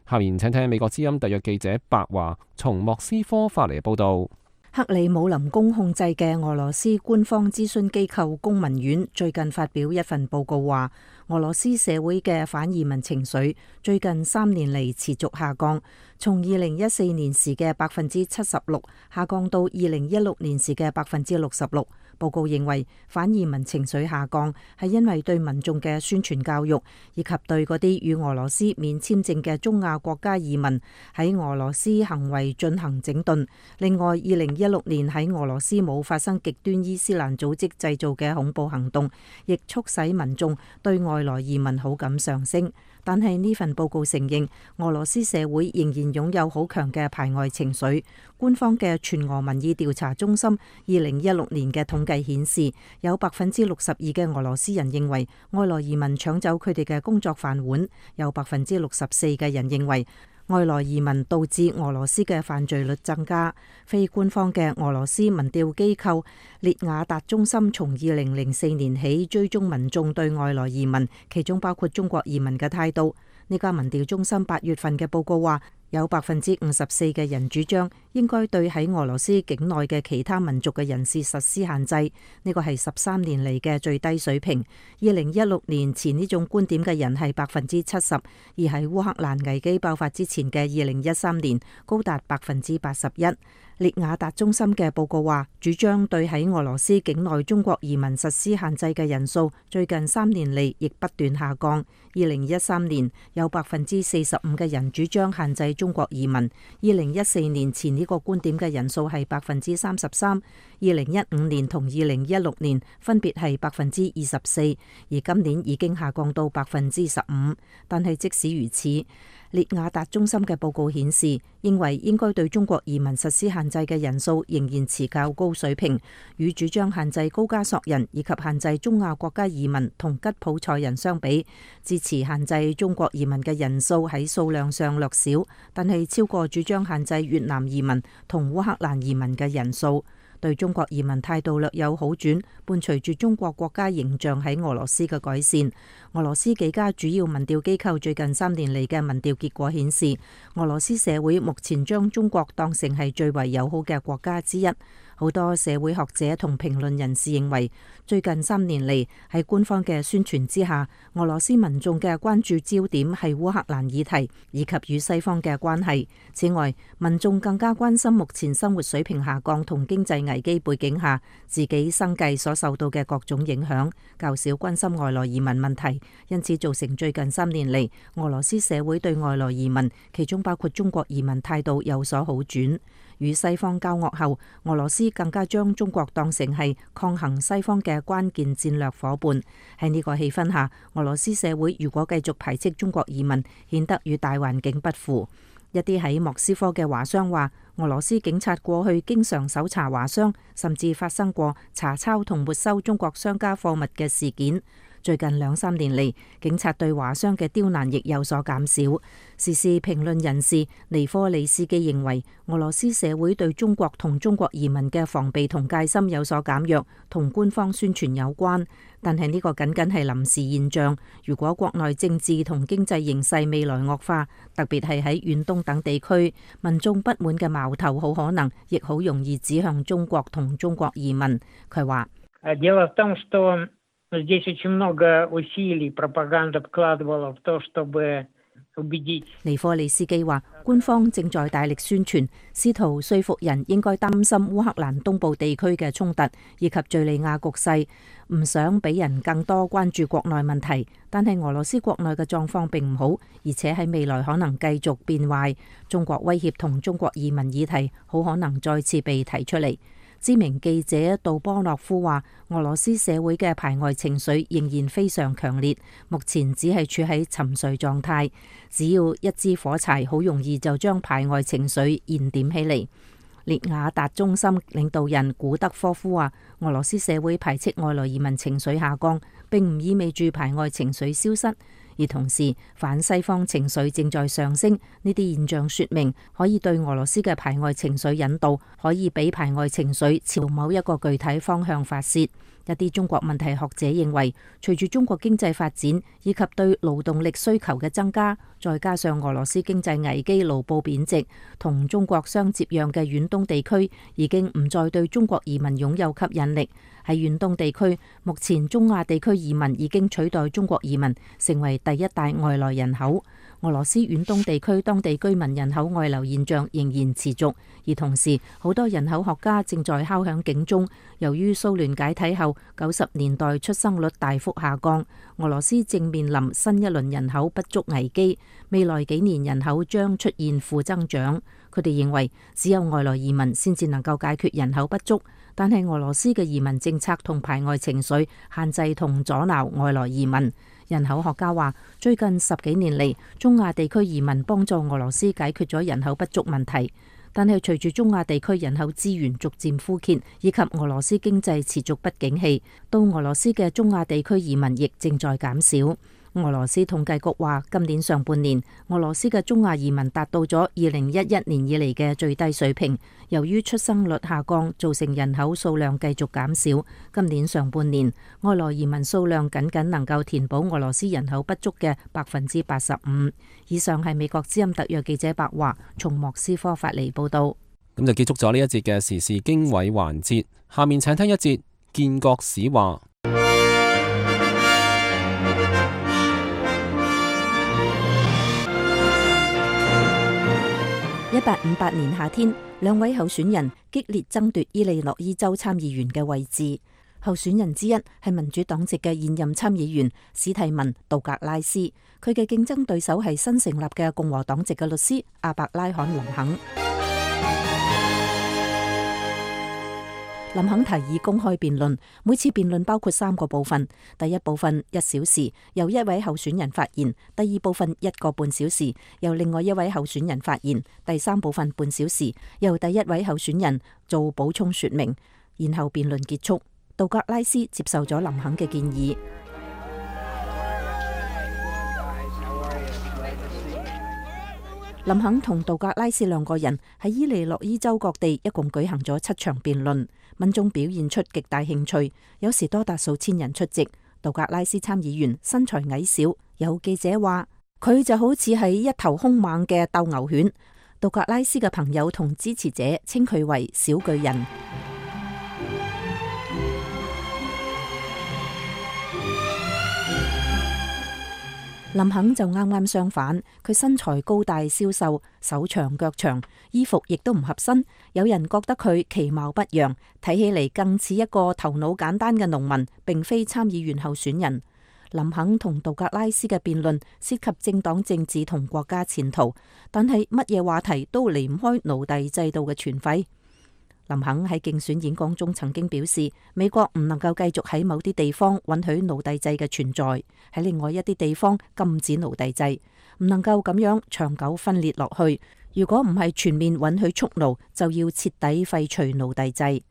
下面請聽美國之音特約記者白華從莫斯科發嚟嘅報道。克里姆林宮控制嘅俄羅斯官方諮詢機構公民院最近發表一份報告話，俄羅斯社會嘅反移民情緒最近三年嚟持續下降，從二零一四年時嘅百分之七十六下降到二零一六年時嘅百分之六十六。報告認為，反移民情緒下降係因為對民眾嘅宣傳教育，以及對嗰啲與俄羅斯免簽證嘅中亞國家移民喺俄羅斯行為進行整頓。另外，二零一六年喺俄羅斯冇發生極端伊斯蘭組織製造嘅恐怖行動，亦促使民眾對外來移民好感上升。但係呢份報告承認，俄羅斯社會仍然擁有好強嘅排外情緒。官方嘅全俄民意調查中心二零一六年嘅統計顯示，有百分之六十二嘅俄羅斯人認為外來移民搶走佢哋嘅工作飯碗，有百分之六十四嘅人認為外來移民導致俄羅斯嘅犯罪率增加。非官方嘅俄羅斯民調機構列雅達中心從二零零四年起追蹤民眾對外來移民，其中包括中國移民嘅態度。呢家民調中心八月份嘅報告話，有百分之五十四嘅人主張應該對喺俄羅斯境內嘅其他民族嘅人士實施限制，呢個係十三年嚟嘅最低水平。二零一六年前呢種觀點嘅人係百分之七十，而喺烏克蘭危機爆發之前嘅二零一三年高達百分之八十一。列雅達中心嘅報告話，主張對喺俄羅斯境內中國移民實施限制嘅人數最近三年嚟亦不斷下降。二零一三年有百分之四十五嘅人主張限制中國移民，二零一四年前呢個觀點嘅人數係百分之三十三，二零一五年同二零一六年分別係百分之二十四，而今年已經下降到百分之十五。但係即使如此，列雅達中心嘅報告顯示，認為應該對中國移民實施限制嘅人數仍然持較高水平，與主張限制高加索人以及限制中亞國家移民同吉普賽人相比，支持限制中國移民嘅人數喺數量上略少，但係超過主張限制越南移民同烏克蘭移民嘅人數。對中國移民態度略有好轉，伴隨住中國國家形象喺俄羅斯嘅改善。俄羅斯幾家主要民調機構最近三年嚟嘅民調結果顯示，俄羅斯社會目前將中國當成係最為友好嘅國家之一。好多社會學者同評論人士認為，最近三年嚟喺官方嘅宣傳之下，俄羅斯民眾嘅關注焦點係烏克蘭議題以及與西方嘅關係。此外，民眾更加關心目前生活水平下降同經濟危機背景下自己生計所受到嘅各種影響，較少關心外來移民問題，因此造成最近三年嚟俄羅斯社會對外來移民，其中包括中國移民態度有所好轉。與西方交惡後，俄羅斯更加將中國當成係抗衡西方嘅關鍵戰略夥伴。喺呢個氣氛下，俄羅斯社會如果繼續排斥中國移民，顯得與大環境不符。一啲喺莫斯科嘅華商話，俄羅斯警察過去經常搜查華商，甚至發生過查抄同沒收中國商家貨物嘅事件。最近兩三年嚟，警察對華商嘅刁難亦有所減少。時事評論人士尼科利斯基認為，俄羅斯社會對中國同中國移民嘅防備同戒心有所減弱，同官方宣傳有關。但係呢個僅僅係臨時現象。如果國內政治同經濟形勢未來惡化，特別係喺遠東等地區，民眾不滿嘅矛頭好可能亦好容易指向中國同中國移民。佢話：尼科利斯基話，官方正在大力宣傳，試圖說服人應該擔心烏克蘭東部地區嘅衝突以及敘利亞局勢，唔想俾人更多關注國內問題。但係俄羅斯國內嘅狀況並唔好，而且喺未來可能繼續變壞。中國威脅同中國移民議題好可能再次被提出嚟。知名記者杜波諾夫話，俄羅斯社會嘅排外情緒仍然非常強烈，目前只係處喺沉睡狀態。只要一支火柴，好容易就將排外情緒燃點起嚟。列雅達中心領導人古德科夫話，俄羅斯社會排斥外來移民情緒下降，並唔意味住排外情緒消失。而同時，反西方情緒正在上升，呢啲現象說明可以對俄羅斯嘅排外情緒引導，可以俾排外情緒朝某一個具體方向發洩。一啲中國問題學者認為，隨住中國經濟發展以及對勞動力需求嘅增加，再加上俄羅斯經濟危機、盧布貶值，同中國相接壤嘅遠東地區已經唔再對中國移民擁有吸引力。喺遠東地區，目前中亞地區移民已經取代中國移民，成為第一大外來人口。俄羅斯遠東地區當地居民人口外流現象仍然持續，而同時好多人口學家正在敲響警鐘。由於蘇聯解體後九十年代出生率大幅下降，俄羅斯正面臨新一輪人口不足危機，未來幾年人口將出現負增長。佢哋認為只有外來移民先至能夠解決人口不足，但係俄羅斯嘅移民政策同排外情緒限制同阻撓外來移民。人口學家話，最近十幾年嚟，中亞地區移民幫助俄羅斯解決咗人口不足問題，但係隨住中亞地區人口資源逐漸枯竭，以及俄羅斯經濟持續不景氣，到俄羅斯嘅中亞地區移民亦正在減少。俄羅斯統計局話，今年上半年俄羅斯嘅中亞移民達到咗二零一一年以嚟嘅最低水平。由於出生率下降，造成人口數量繼續減少。今年上半年外來移民數量僅僅能夠填補俄羅斯人口不足嘅百分之八十五。以上係美國之音特約記者白華從莫斯科發嚟報道。咁就結束咗呢一節嘅時事經緯環節。下面請聽一節建國史話。一八五八年夏天，兩位候選人激烈爭奪伊利諾伊州參議員嘅位置。候選人之一係民主黨籍嘅現任參議員史蒂文·杜格拉斯，佢嘅競爭對手係新成立嘅共和黨籍嘅律師阿伯拉罕·林肯。林肯提議公開辯論，每次辯論包括三個部分。第一部分一小時，由一位候選人發言；第二部分一個半小時，由另外一位候選人發言；第三部分半小時，由第一位候選人做補充說明。然後辯論結束。杜格拉斯接受咗林肯嘅建議。林肯同杜格拉斯兩個人喺伊利諾伊州各地一共舉行咗七場辯論，民眾表現出極大興趣，有時多達數千人出席。杜格拉斯參議員身材矮小，有記者話佢就好似係一頭兇猛嘅鬥牛犬。杜格拉斯嘅朋友同支持者稱佢為小巨人。林肯就啱啱相反，佢身材高大消瘦，手長腳長，衣服亦都唔合身。有人覺得佢其貌不揚，睇起嚟更似一個頭腦簡單嘅農民，並非參議員候選人。林肯同杜格拉斯嘅辯論涉及政黨政治同國家前途，但係乜嘢話題都離唔開奴隸制度嘅存廢。林肯喺競選演講中曾經表示，美國唔能夠繼續喺某啲地方允許奴隸制嘅存在，喺另外一啲地方禁止奴隸制，唔能夠咁樣長久分裂落去。如果唔係全面允許蓄奴，就要徹底廢除奴隸制。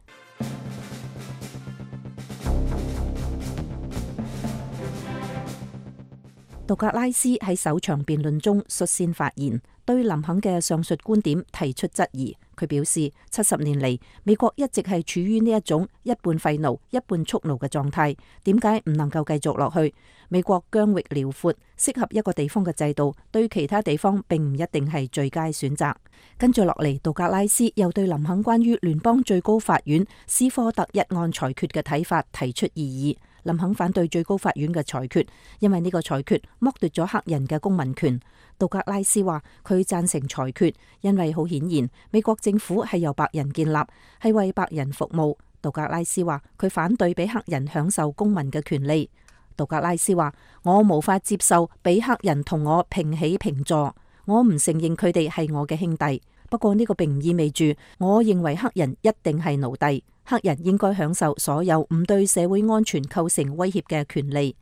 杜格拉斯喺首場辯論中率先發言，對林肯嘅上述觀點提出質疑。佢表示，七十年嚟，美國一直係處於呢一種一半廢奴、一半蓄奴嘅狀態，點解唔能夠繼續落去？美國疆域遼闊，適合一個地方嘅制度，對其他地方並唔一定係最佳選擇。跟住落嚟，杜格拉斯又對林肯關於聯邦最高法院斯科特一案裁決嘅睇法提出異議。林肯反對最高法院嘅裁決，因為呢個裁決剝奪咗黑人嘅公民權。杜格拉斯話佢贊成裁決，因為好顯然美國政府係由白人建立，係為白人服務。杜格拉斯話佢反對俾黑人享受公民嘅權利。杜格拉斯話我無法接受俾黑人同我平起平坐，我唔承認佢哋係我嘅兄弟。不過呢個並唔意味住我認為黑人一定係奴隸。黑人應該享受所有唔對社會安全構成威脅嘅權利。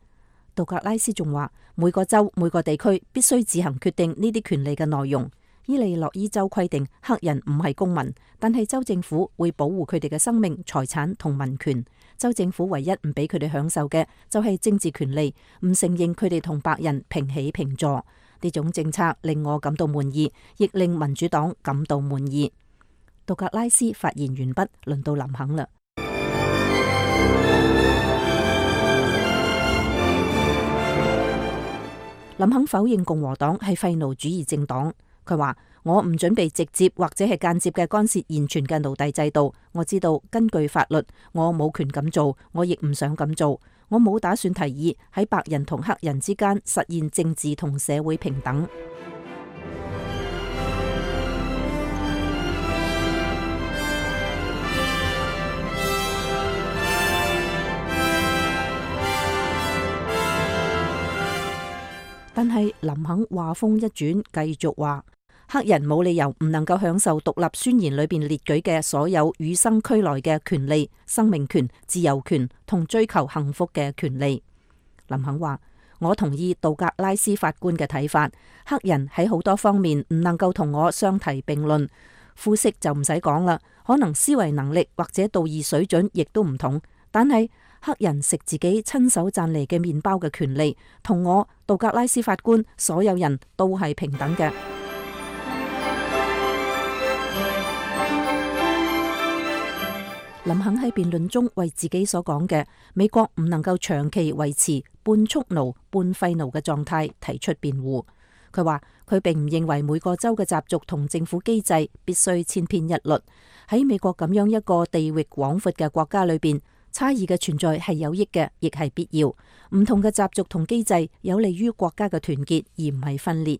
杜格拉斯仲話，每個州每個地區必須自行決定呢啲權利嘅內容。伊利諾伊州規定黑人唔係公民，但係州政府會保護佢哋嘅生命、財產同民權。州政府唯一唔俾佢哋享受嘅就係政治權利，唔承認佢哋同白人平起平坐。呢種政策令我感到滿意，亦令民主黨感到滿意。杜格拉斯發言完畢，輪到林肯啦。林肯否認共和黨係廢奴主義政黨。佢話：我唔準備直接或者係間接嘅干涉現存嘅奴隸制度。我知道根據法律，我冇權咁做，我亦唔想咁做。我冇打算提議喺白人同黑人之間實現政治同社會平等。但係林肯話風一轉，繼續話黑人冇理由唔能夠享受獨立宣言裏邊列舉嘅所有與生俱來嘅權利、生命權、自由權同追求幸福嘅權利。林肯話：我同意杜格拉斯法官嘅睇法，黑人喺好多方面唔能夠同我相提並論。膚色就唔使講啦，可能思維能力或者道義水準亦都唔同，但係黑人食自己親手賺嚟嘅麵包嘅權利，同我杜格拉斯法官所有人都係平等嘅。林肯喺辯論中為自己所講嘅美國唔能夠長期維持半蓄奴半廢奴嘅狀態提出辯護。佢話佢並唔認為每個州嘅習俗同政府機制必須千篇一律。喺美國咁樣一個地域廣闊嘅國家裏邊，差異嘅存在係有益嘅，亦係必要。唔同嘅習俗同機制有利於國家嘅團結，而唔係分裂。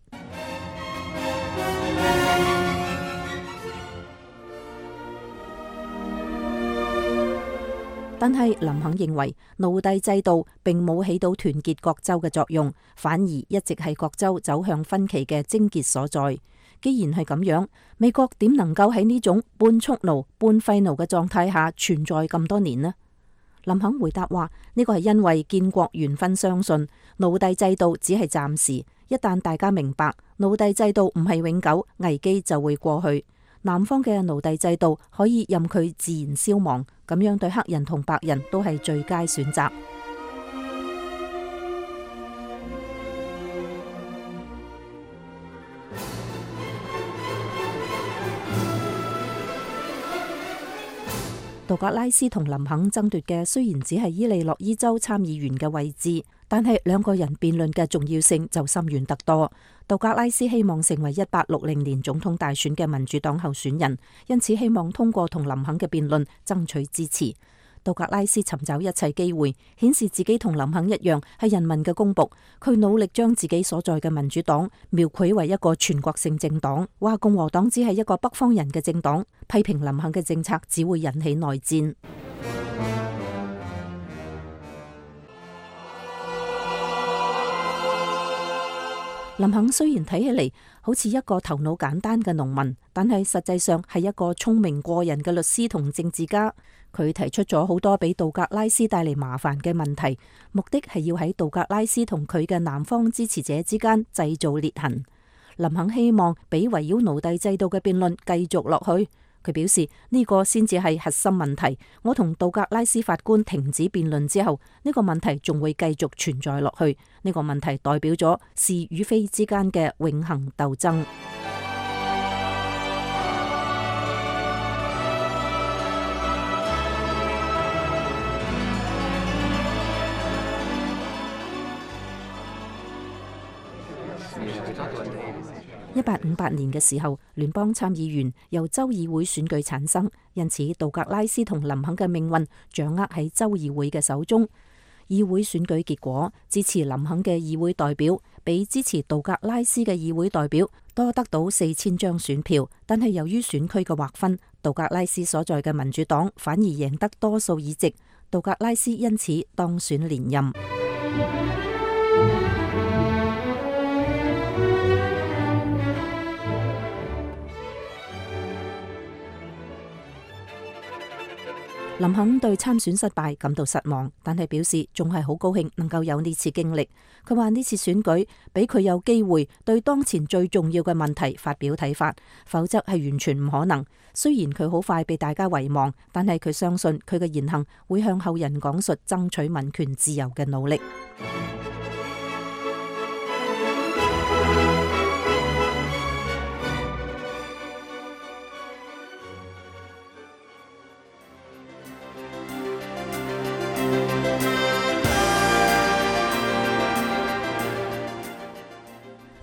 但係林肯認為奴隸制度並冇起到團結各州嘅作用，反而一直係各州走向分歧嘅症結所在。既然係咁樣，美國點能夠喺呢種半蓄奴半廢奴嘅狀態下存在咁多年呢？林肯回答話：呢個係因為建國元勳相信奴隸制度只係暫時，一旦大家明白奴隸制度唔係永久，危機就會過去。南方嘅奴隸制度可以任佢自然消亡，咁樣對黑人同白人都係最佳選擇。杜格拉斯同林肯爭奪嘅雖然只係伊利諾伊州參議員嘅位置，但係兩個人辯論嘅重要性就深遠得多。杜格拉斯希望成為一八六零年總統大選嘅民主黨候選人，因此希望通過同林肯嘅辯論爭取支持。杜格拉斯尋找一切機會，顯示自己同林肯一樣係人民嘅公僕。佢努力將自己所在嘅民主黨描繪為一個全國性政黨，話共和黨只係一個北方人嘅政黨，批評林肯嘅政策只會引起內戰。林肯雖然睇起嚟好似一個頭腦簡單嘅農民，但係實際上係一個聰明過人嘅律師同政治家。佢提出咗好多俾杜格拉斯帶嚟麻煩嘅問題，目的係要喺杜格拉斯同佢嘅南方支持者之間製造裂痕。林肯希望俾圍繞奴隸制度嘅辯論繼續落去。佢表示呢個先至係核心問題。我同道格拉斯法官停止辯論之後，呢個問題仲會繼續存在落去。呢個問題代表咗是與非之間嘅永恆鬥爭。一八五八年嘅時候，聯邦參議員由州議會選舉產生，因此道格拉斯同林肯嘅命運掌握喺州議會嘅手中。議會選舉結果，支持林肯嘅議會代表比支持道格拉斯嘅議會代表多得到四千張選票，但係由於選區嘅劃分，道格拉斯所在嘅民主黨反而贏得多數議席，道格拉斯因此當選連任。林肯對參選失敗感到失望，但係表示仲係好高興能夠有呢次經歷。佢話呢次選舉俾佢有機會對當前最重要嘅問題發表睇法，否則係完全唔可能。雖然佢好快被大家遺忘，但係佢相信佢嘅言行會向後人講述爭取民權自由嘅努力。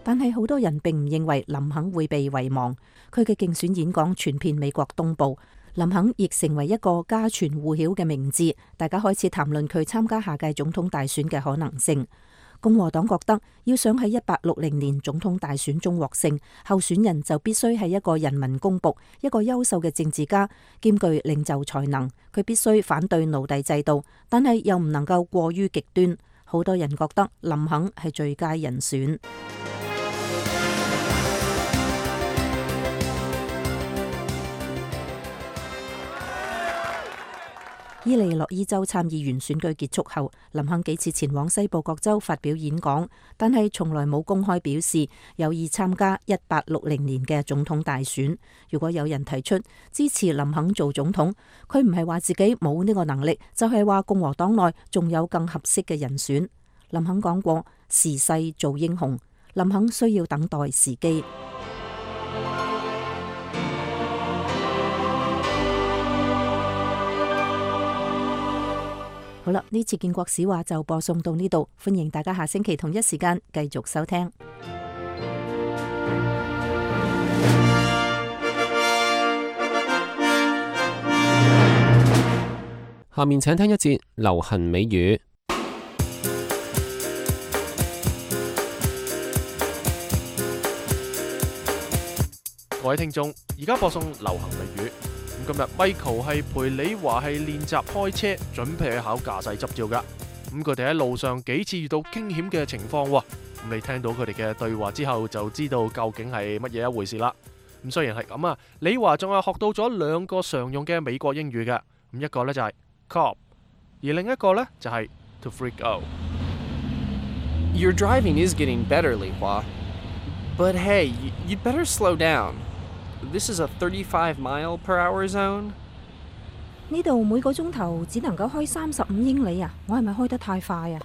但係好多人並唔認為林肯會被遺忘。佢嘅競選演講傳遍美國東部，林肯亦成為一個家傳戶曉嘅名字。大家開始談論佢參加下屆總統大選嘅可能性。共和黨覺得要想喺一八六零年總統大選中獲勝，候選人就必須係一個人民公僕，一個優秀嘅政治家，兼具領袖才能。佢必須反對奴隸制度，但係又唔能夠過於極端。好多人覺得林肯係最佳人選。伊利諾伊州參議員選舉結束後，林肯幾次前往西部各州發表演講，但係從來冇公開表示有意參加一八六零年嘅總統大選。如果有人提出支持林肯做總統，佢唔係話自己冇呢個能力，就係話共和黨內仲有更合適嘅人選。林肯講過：時勢造英雄，林肯需要等待時機。好啦，呢次建國史話就播送到呢度，歡迎大家下星期同一時間繼續收聽。下面請聽一節流行美語。各位聽眾，而家播送流行美語。今日 Michael 係陪李華係練習開車，準備去考駕駛執照噶。咁佢哋喺路上幾次遇到驚險嘅情況，咁你聽到佢哋嘅對話之後，就知道究竟係乜嘢一回事啦。咁雖然係咁啊，李華仲係學到咗兩個常用嘅美國英語嘅。咁一個呢就係 cop， 而另一個呢就係 to freak out。 Your driving is getting better, Li Hua. But hey, you'd better slow down.This is a thirty-five mile per hour zone. 呢度每個鐘頭只能夠開三十五英里啊！我係咪開得太快啊？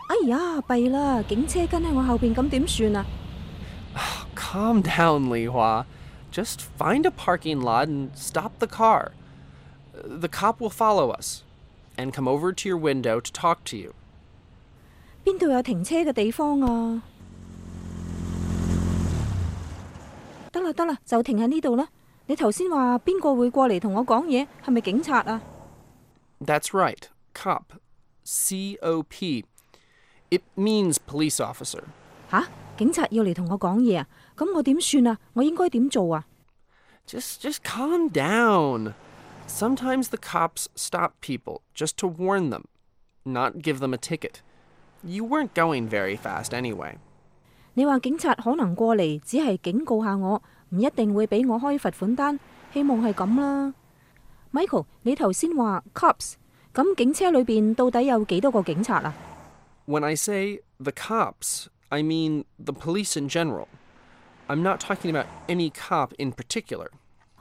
哎呀，弊啦！警車跟喺我後邊，咁點算啊 Calm down, Li Hua. Just find a parking lot and stop the car. The cop will follow us and come over to your window to talk to you. 邊度有停車嘅地方啊？得啦得啦，就停喺呢度啦。你頭先話邊個會過嚟同我講嘢？係咪警察啊？ That's right, cop. C O P. It means police officer. 吓，警察要嚟同我講嘢啊？咁我點算啊？我應該點做啊？ Just, just calm down. Sometimes the cops stop people just to warn them, not give them a ticket. You weren't going very fast anyway.你話警察可能過嚟，只係警告下我，唔一定會俾我開罰款單，希望係咁啦。Michael， 你頭先話 cops， 咁警車裏邊到底有幾多個警察啊？ When I say The cops. I mean, the police in general. I'm not talking about any cop in particular.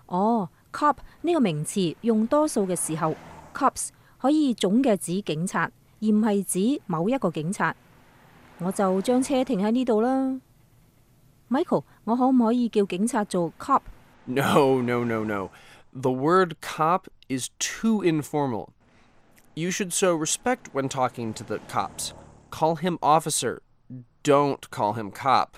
哦 ，cop 呢個名詞用多數嘅時候 ，cops 可以總嘅指警察，而唔係指某一個警察。我就將車停喺呢度啦。Michael， 我可唔可以叫警察做 cop？ No, no, no, no. The word cop is too informal. You should show respect when talking to the cops. Call him officer. Don't call him cop.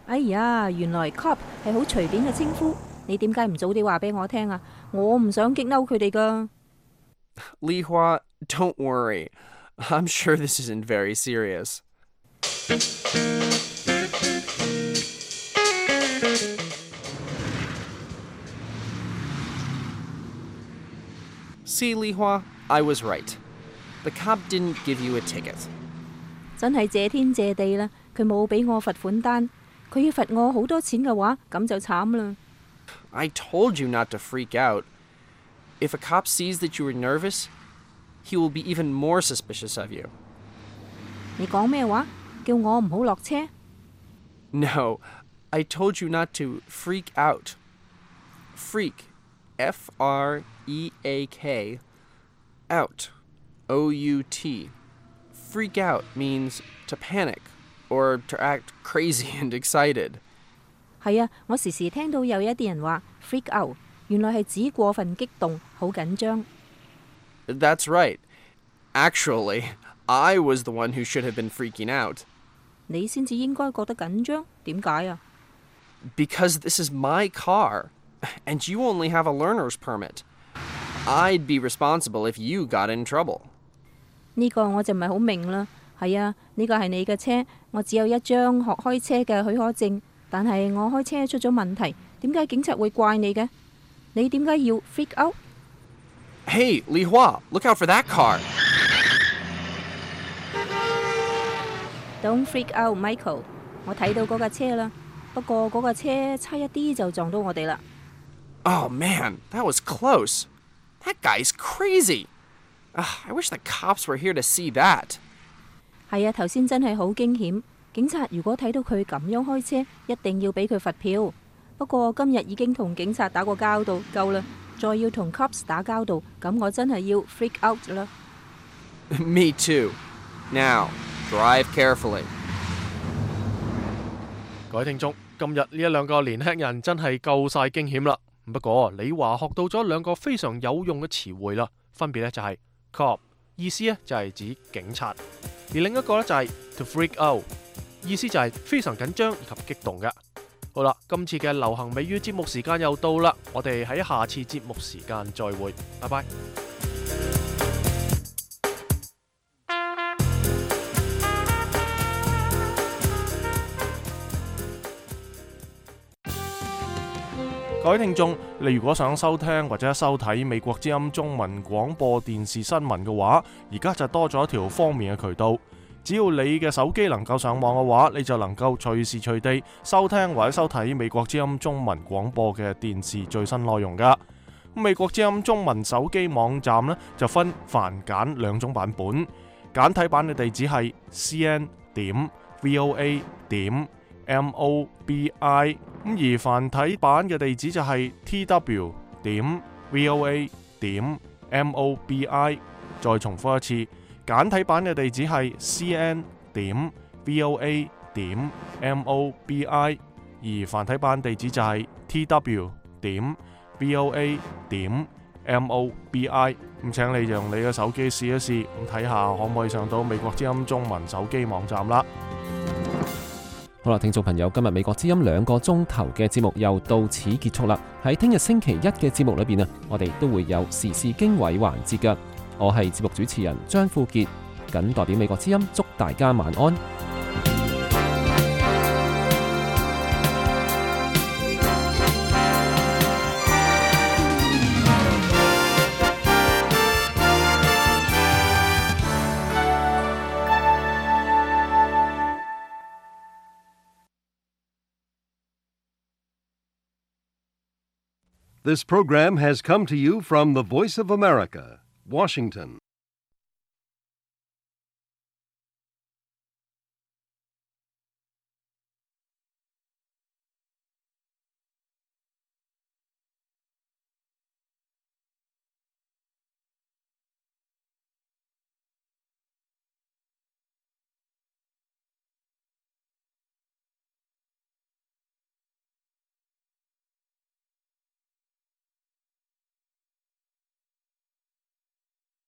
哎呀，原來 cop 係好隨便嘅稱呼，你點解唔早啲話俾我聽啊？我唔想激嬲佢哋㗎。Li Hua, don't worry. I'm sure this isn't very serious. See, Li Hua, I was right. The cop didn't give you a ticket. 真係謝天謝地啦，佢冇俾我罰款單，佢要罰我好多錢嘅話，咁就慘啦。I told you not to freak out. If a cop sees that you are nervous, he will be even more suspicious of you. 你講咩話？叫我唔好落車？ No, I told you not to freak out. Freak, F R E A K, out, O U T. Freak out means to panic or to act crazy and excited. 係啊，我時時聽到有一啲人話 freak out， 原來係指過分激動，好緊張。That's right. Actually, I was the one who should have been freaking out. 你先至應該覺得緊張，點解啊？ Because this is my car, and you only have a learner's permit. I'd be responsible if you got in trouble. 呢個我就唔係好明啦。係啊，呢個係你嘅車，我只有一張學開車嘅許可證，但係我開車出咗問題，點解警察會怪你嘅？你點解要 freak out？ Hey, Li Hua, look out for that car. Don't freak out, Michael。我睇到嗰架車啦，不過嗰架車差一啲就撞到我哋啦。Oh man, that was close. That guy's crazy. Uh, I wish the cops were here to see that. 係啊，頭先真係好驚險。警察如果睇到佢咁樣開車，一定要俾佢罰票。不過今日已經同警察打過交道，夠啦，再要同 cops 打交道，咁我真係要 freak out 啦。Me too. Now, drive carefully. 各位聽眾，今日呢一兩個年輕人真係夠晒驚險啦。不過李華學到咗兩個非常有用嘅詞彙啦，分別呢就係 cop， 意思呢就係指警察，而另一個呢就係 to freak out， 意思就係非常緊張以及激動嘅。好啦，今次嘅流行美語節目時間又到啦，我哋喺下次節目時間再會，拜拜。各位聽眾，你如果想收聽或者收睇美國之音中文廣播電視新聞嘅話，而家就多咗一條方便嘅渠道。只要你嘅手機能夠上網嘅話，你就能夠隨時隨地收聽或者收睇美國之音中文廣播嘅電視最新內容噶。美國之音中文手機網站呢，就分繁簡兩種版本，簡體版嘅地址係 c n 點 v o a 點 m o b i， 咁而繁體版嘅地址就係 t w 點 v o a 點 m o b i。再重複一次，簡體版嘅地址係 c n 點 v o a 點 m o b i， 而繁體版地址就係 t w 點 v o a 點 m o b i。咁請你用你嘅手機試一試，咁睇下可唔可以上到美國之音中文手機網站啦。好啦，聽眾朋友，今日美國之音兩個鐘頭嘅節目又到此結束啦。喺聽日星期一嘅節目裏邊啊，我哋都會有時事經緯環節㗎。我係節目主持人張富傑，謹代表美國之音祝大家晚安。This program has come to you from the Voice of America, Washington.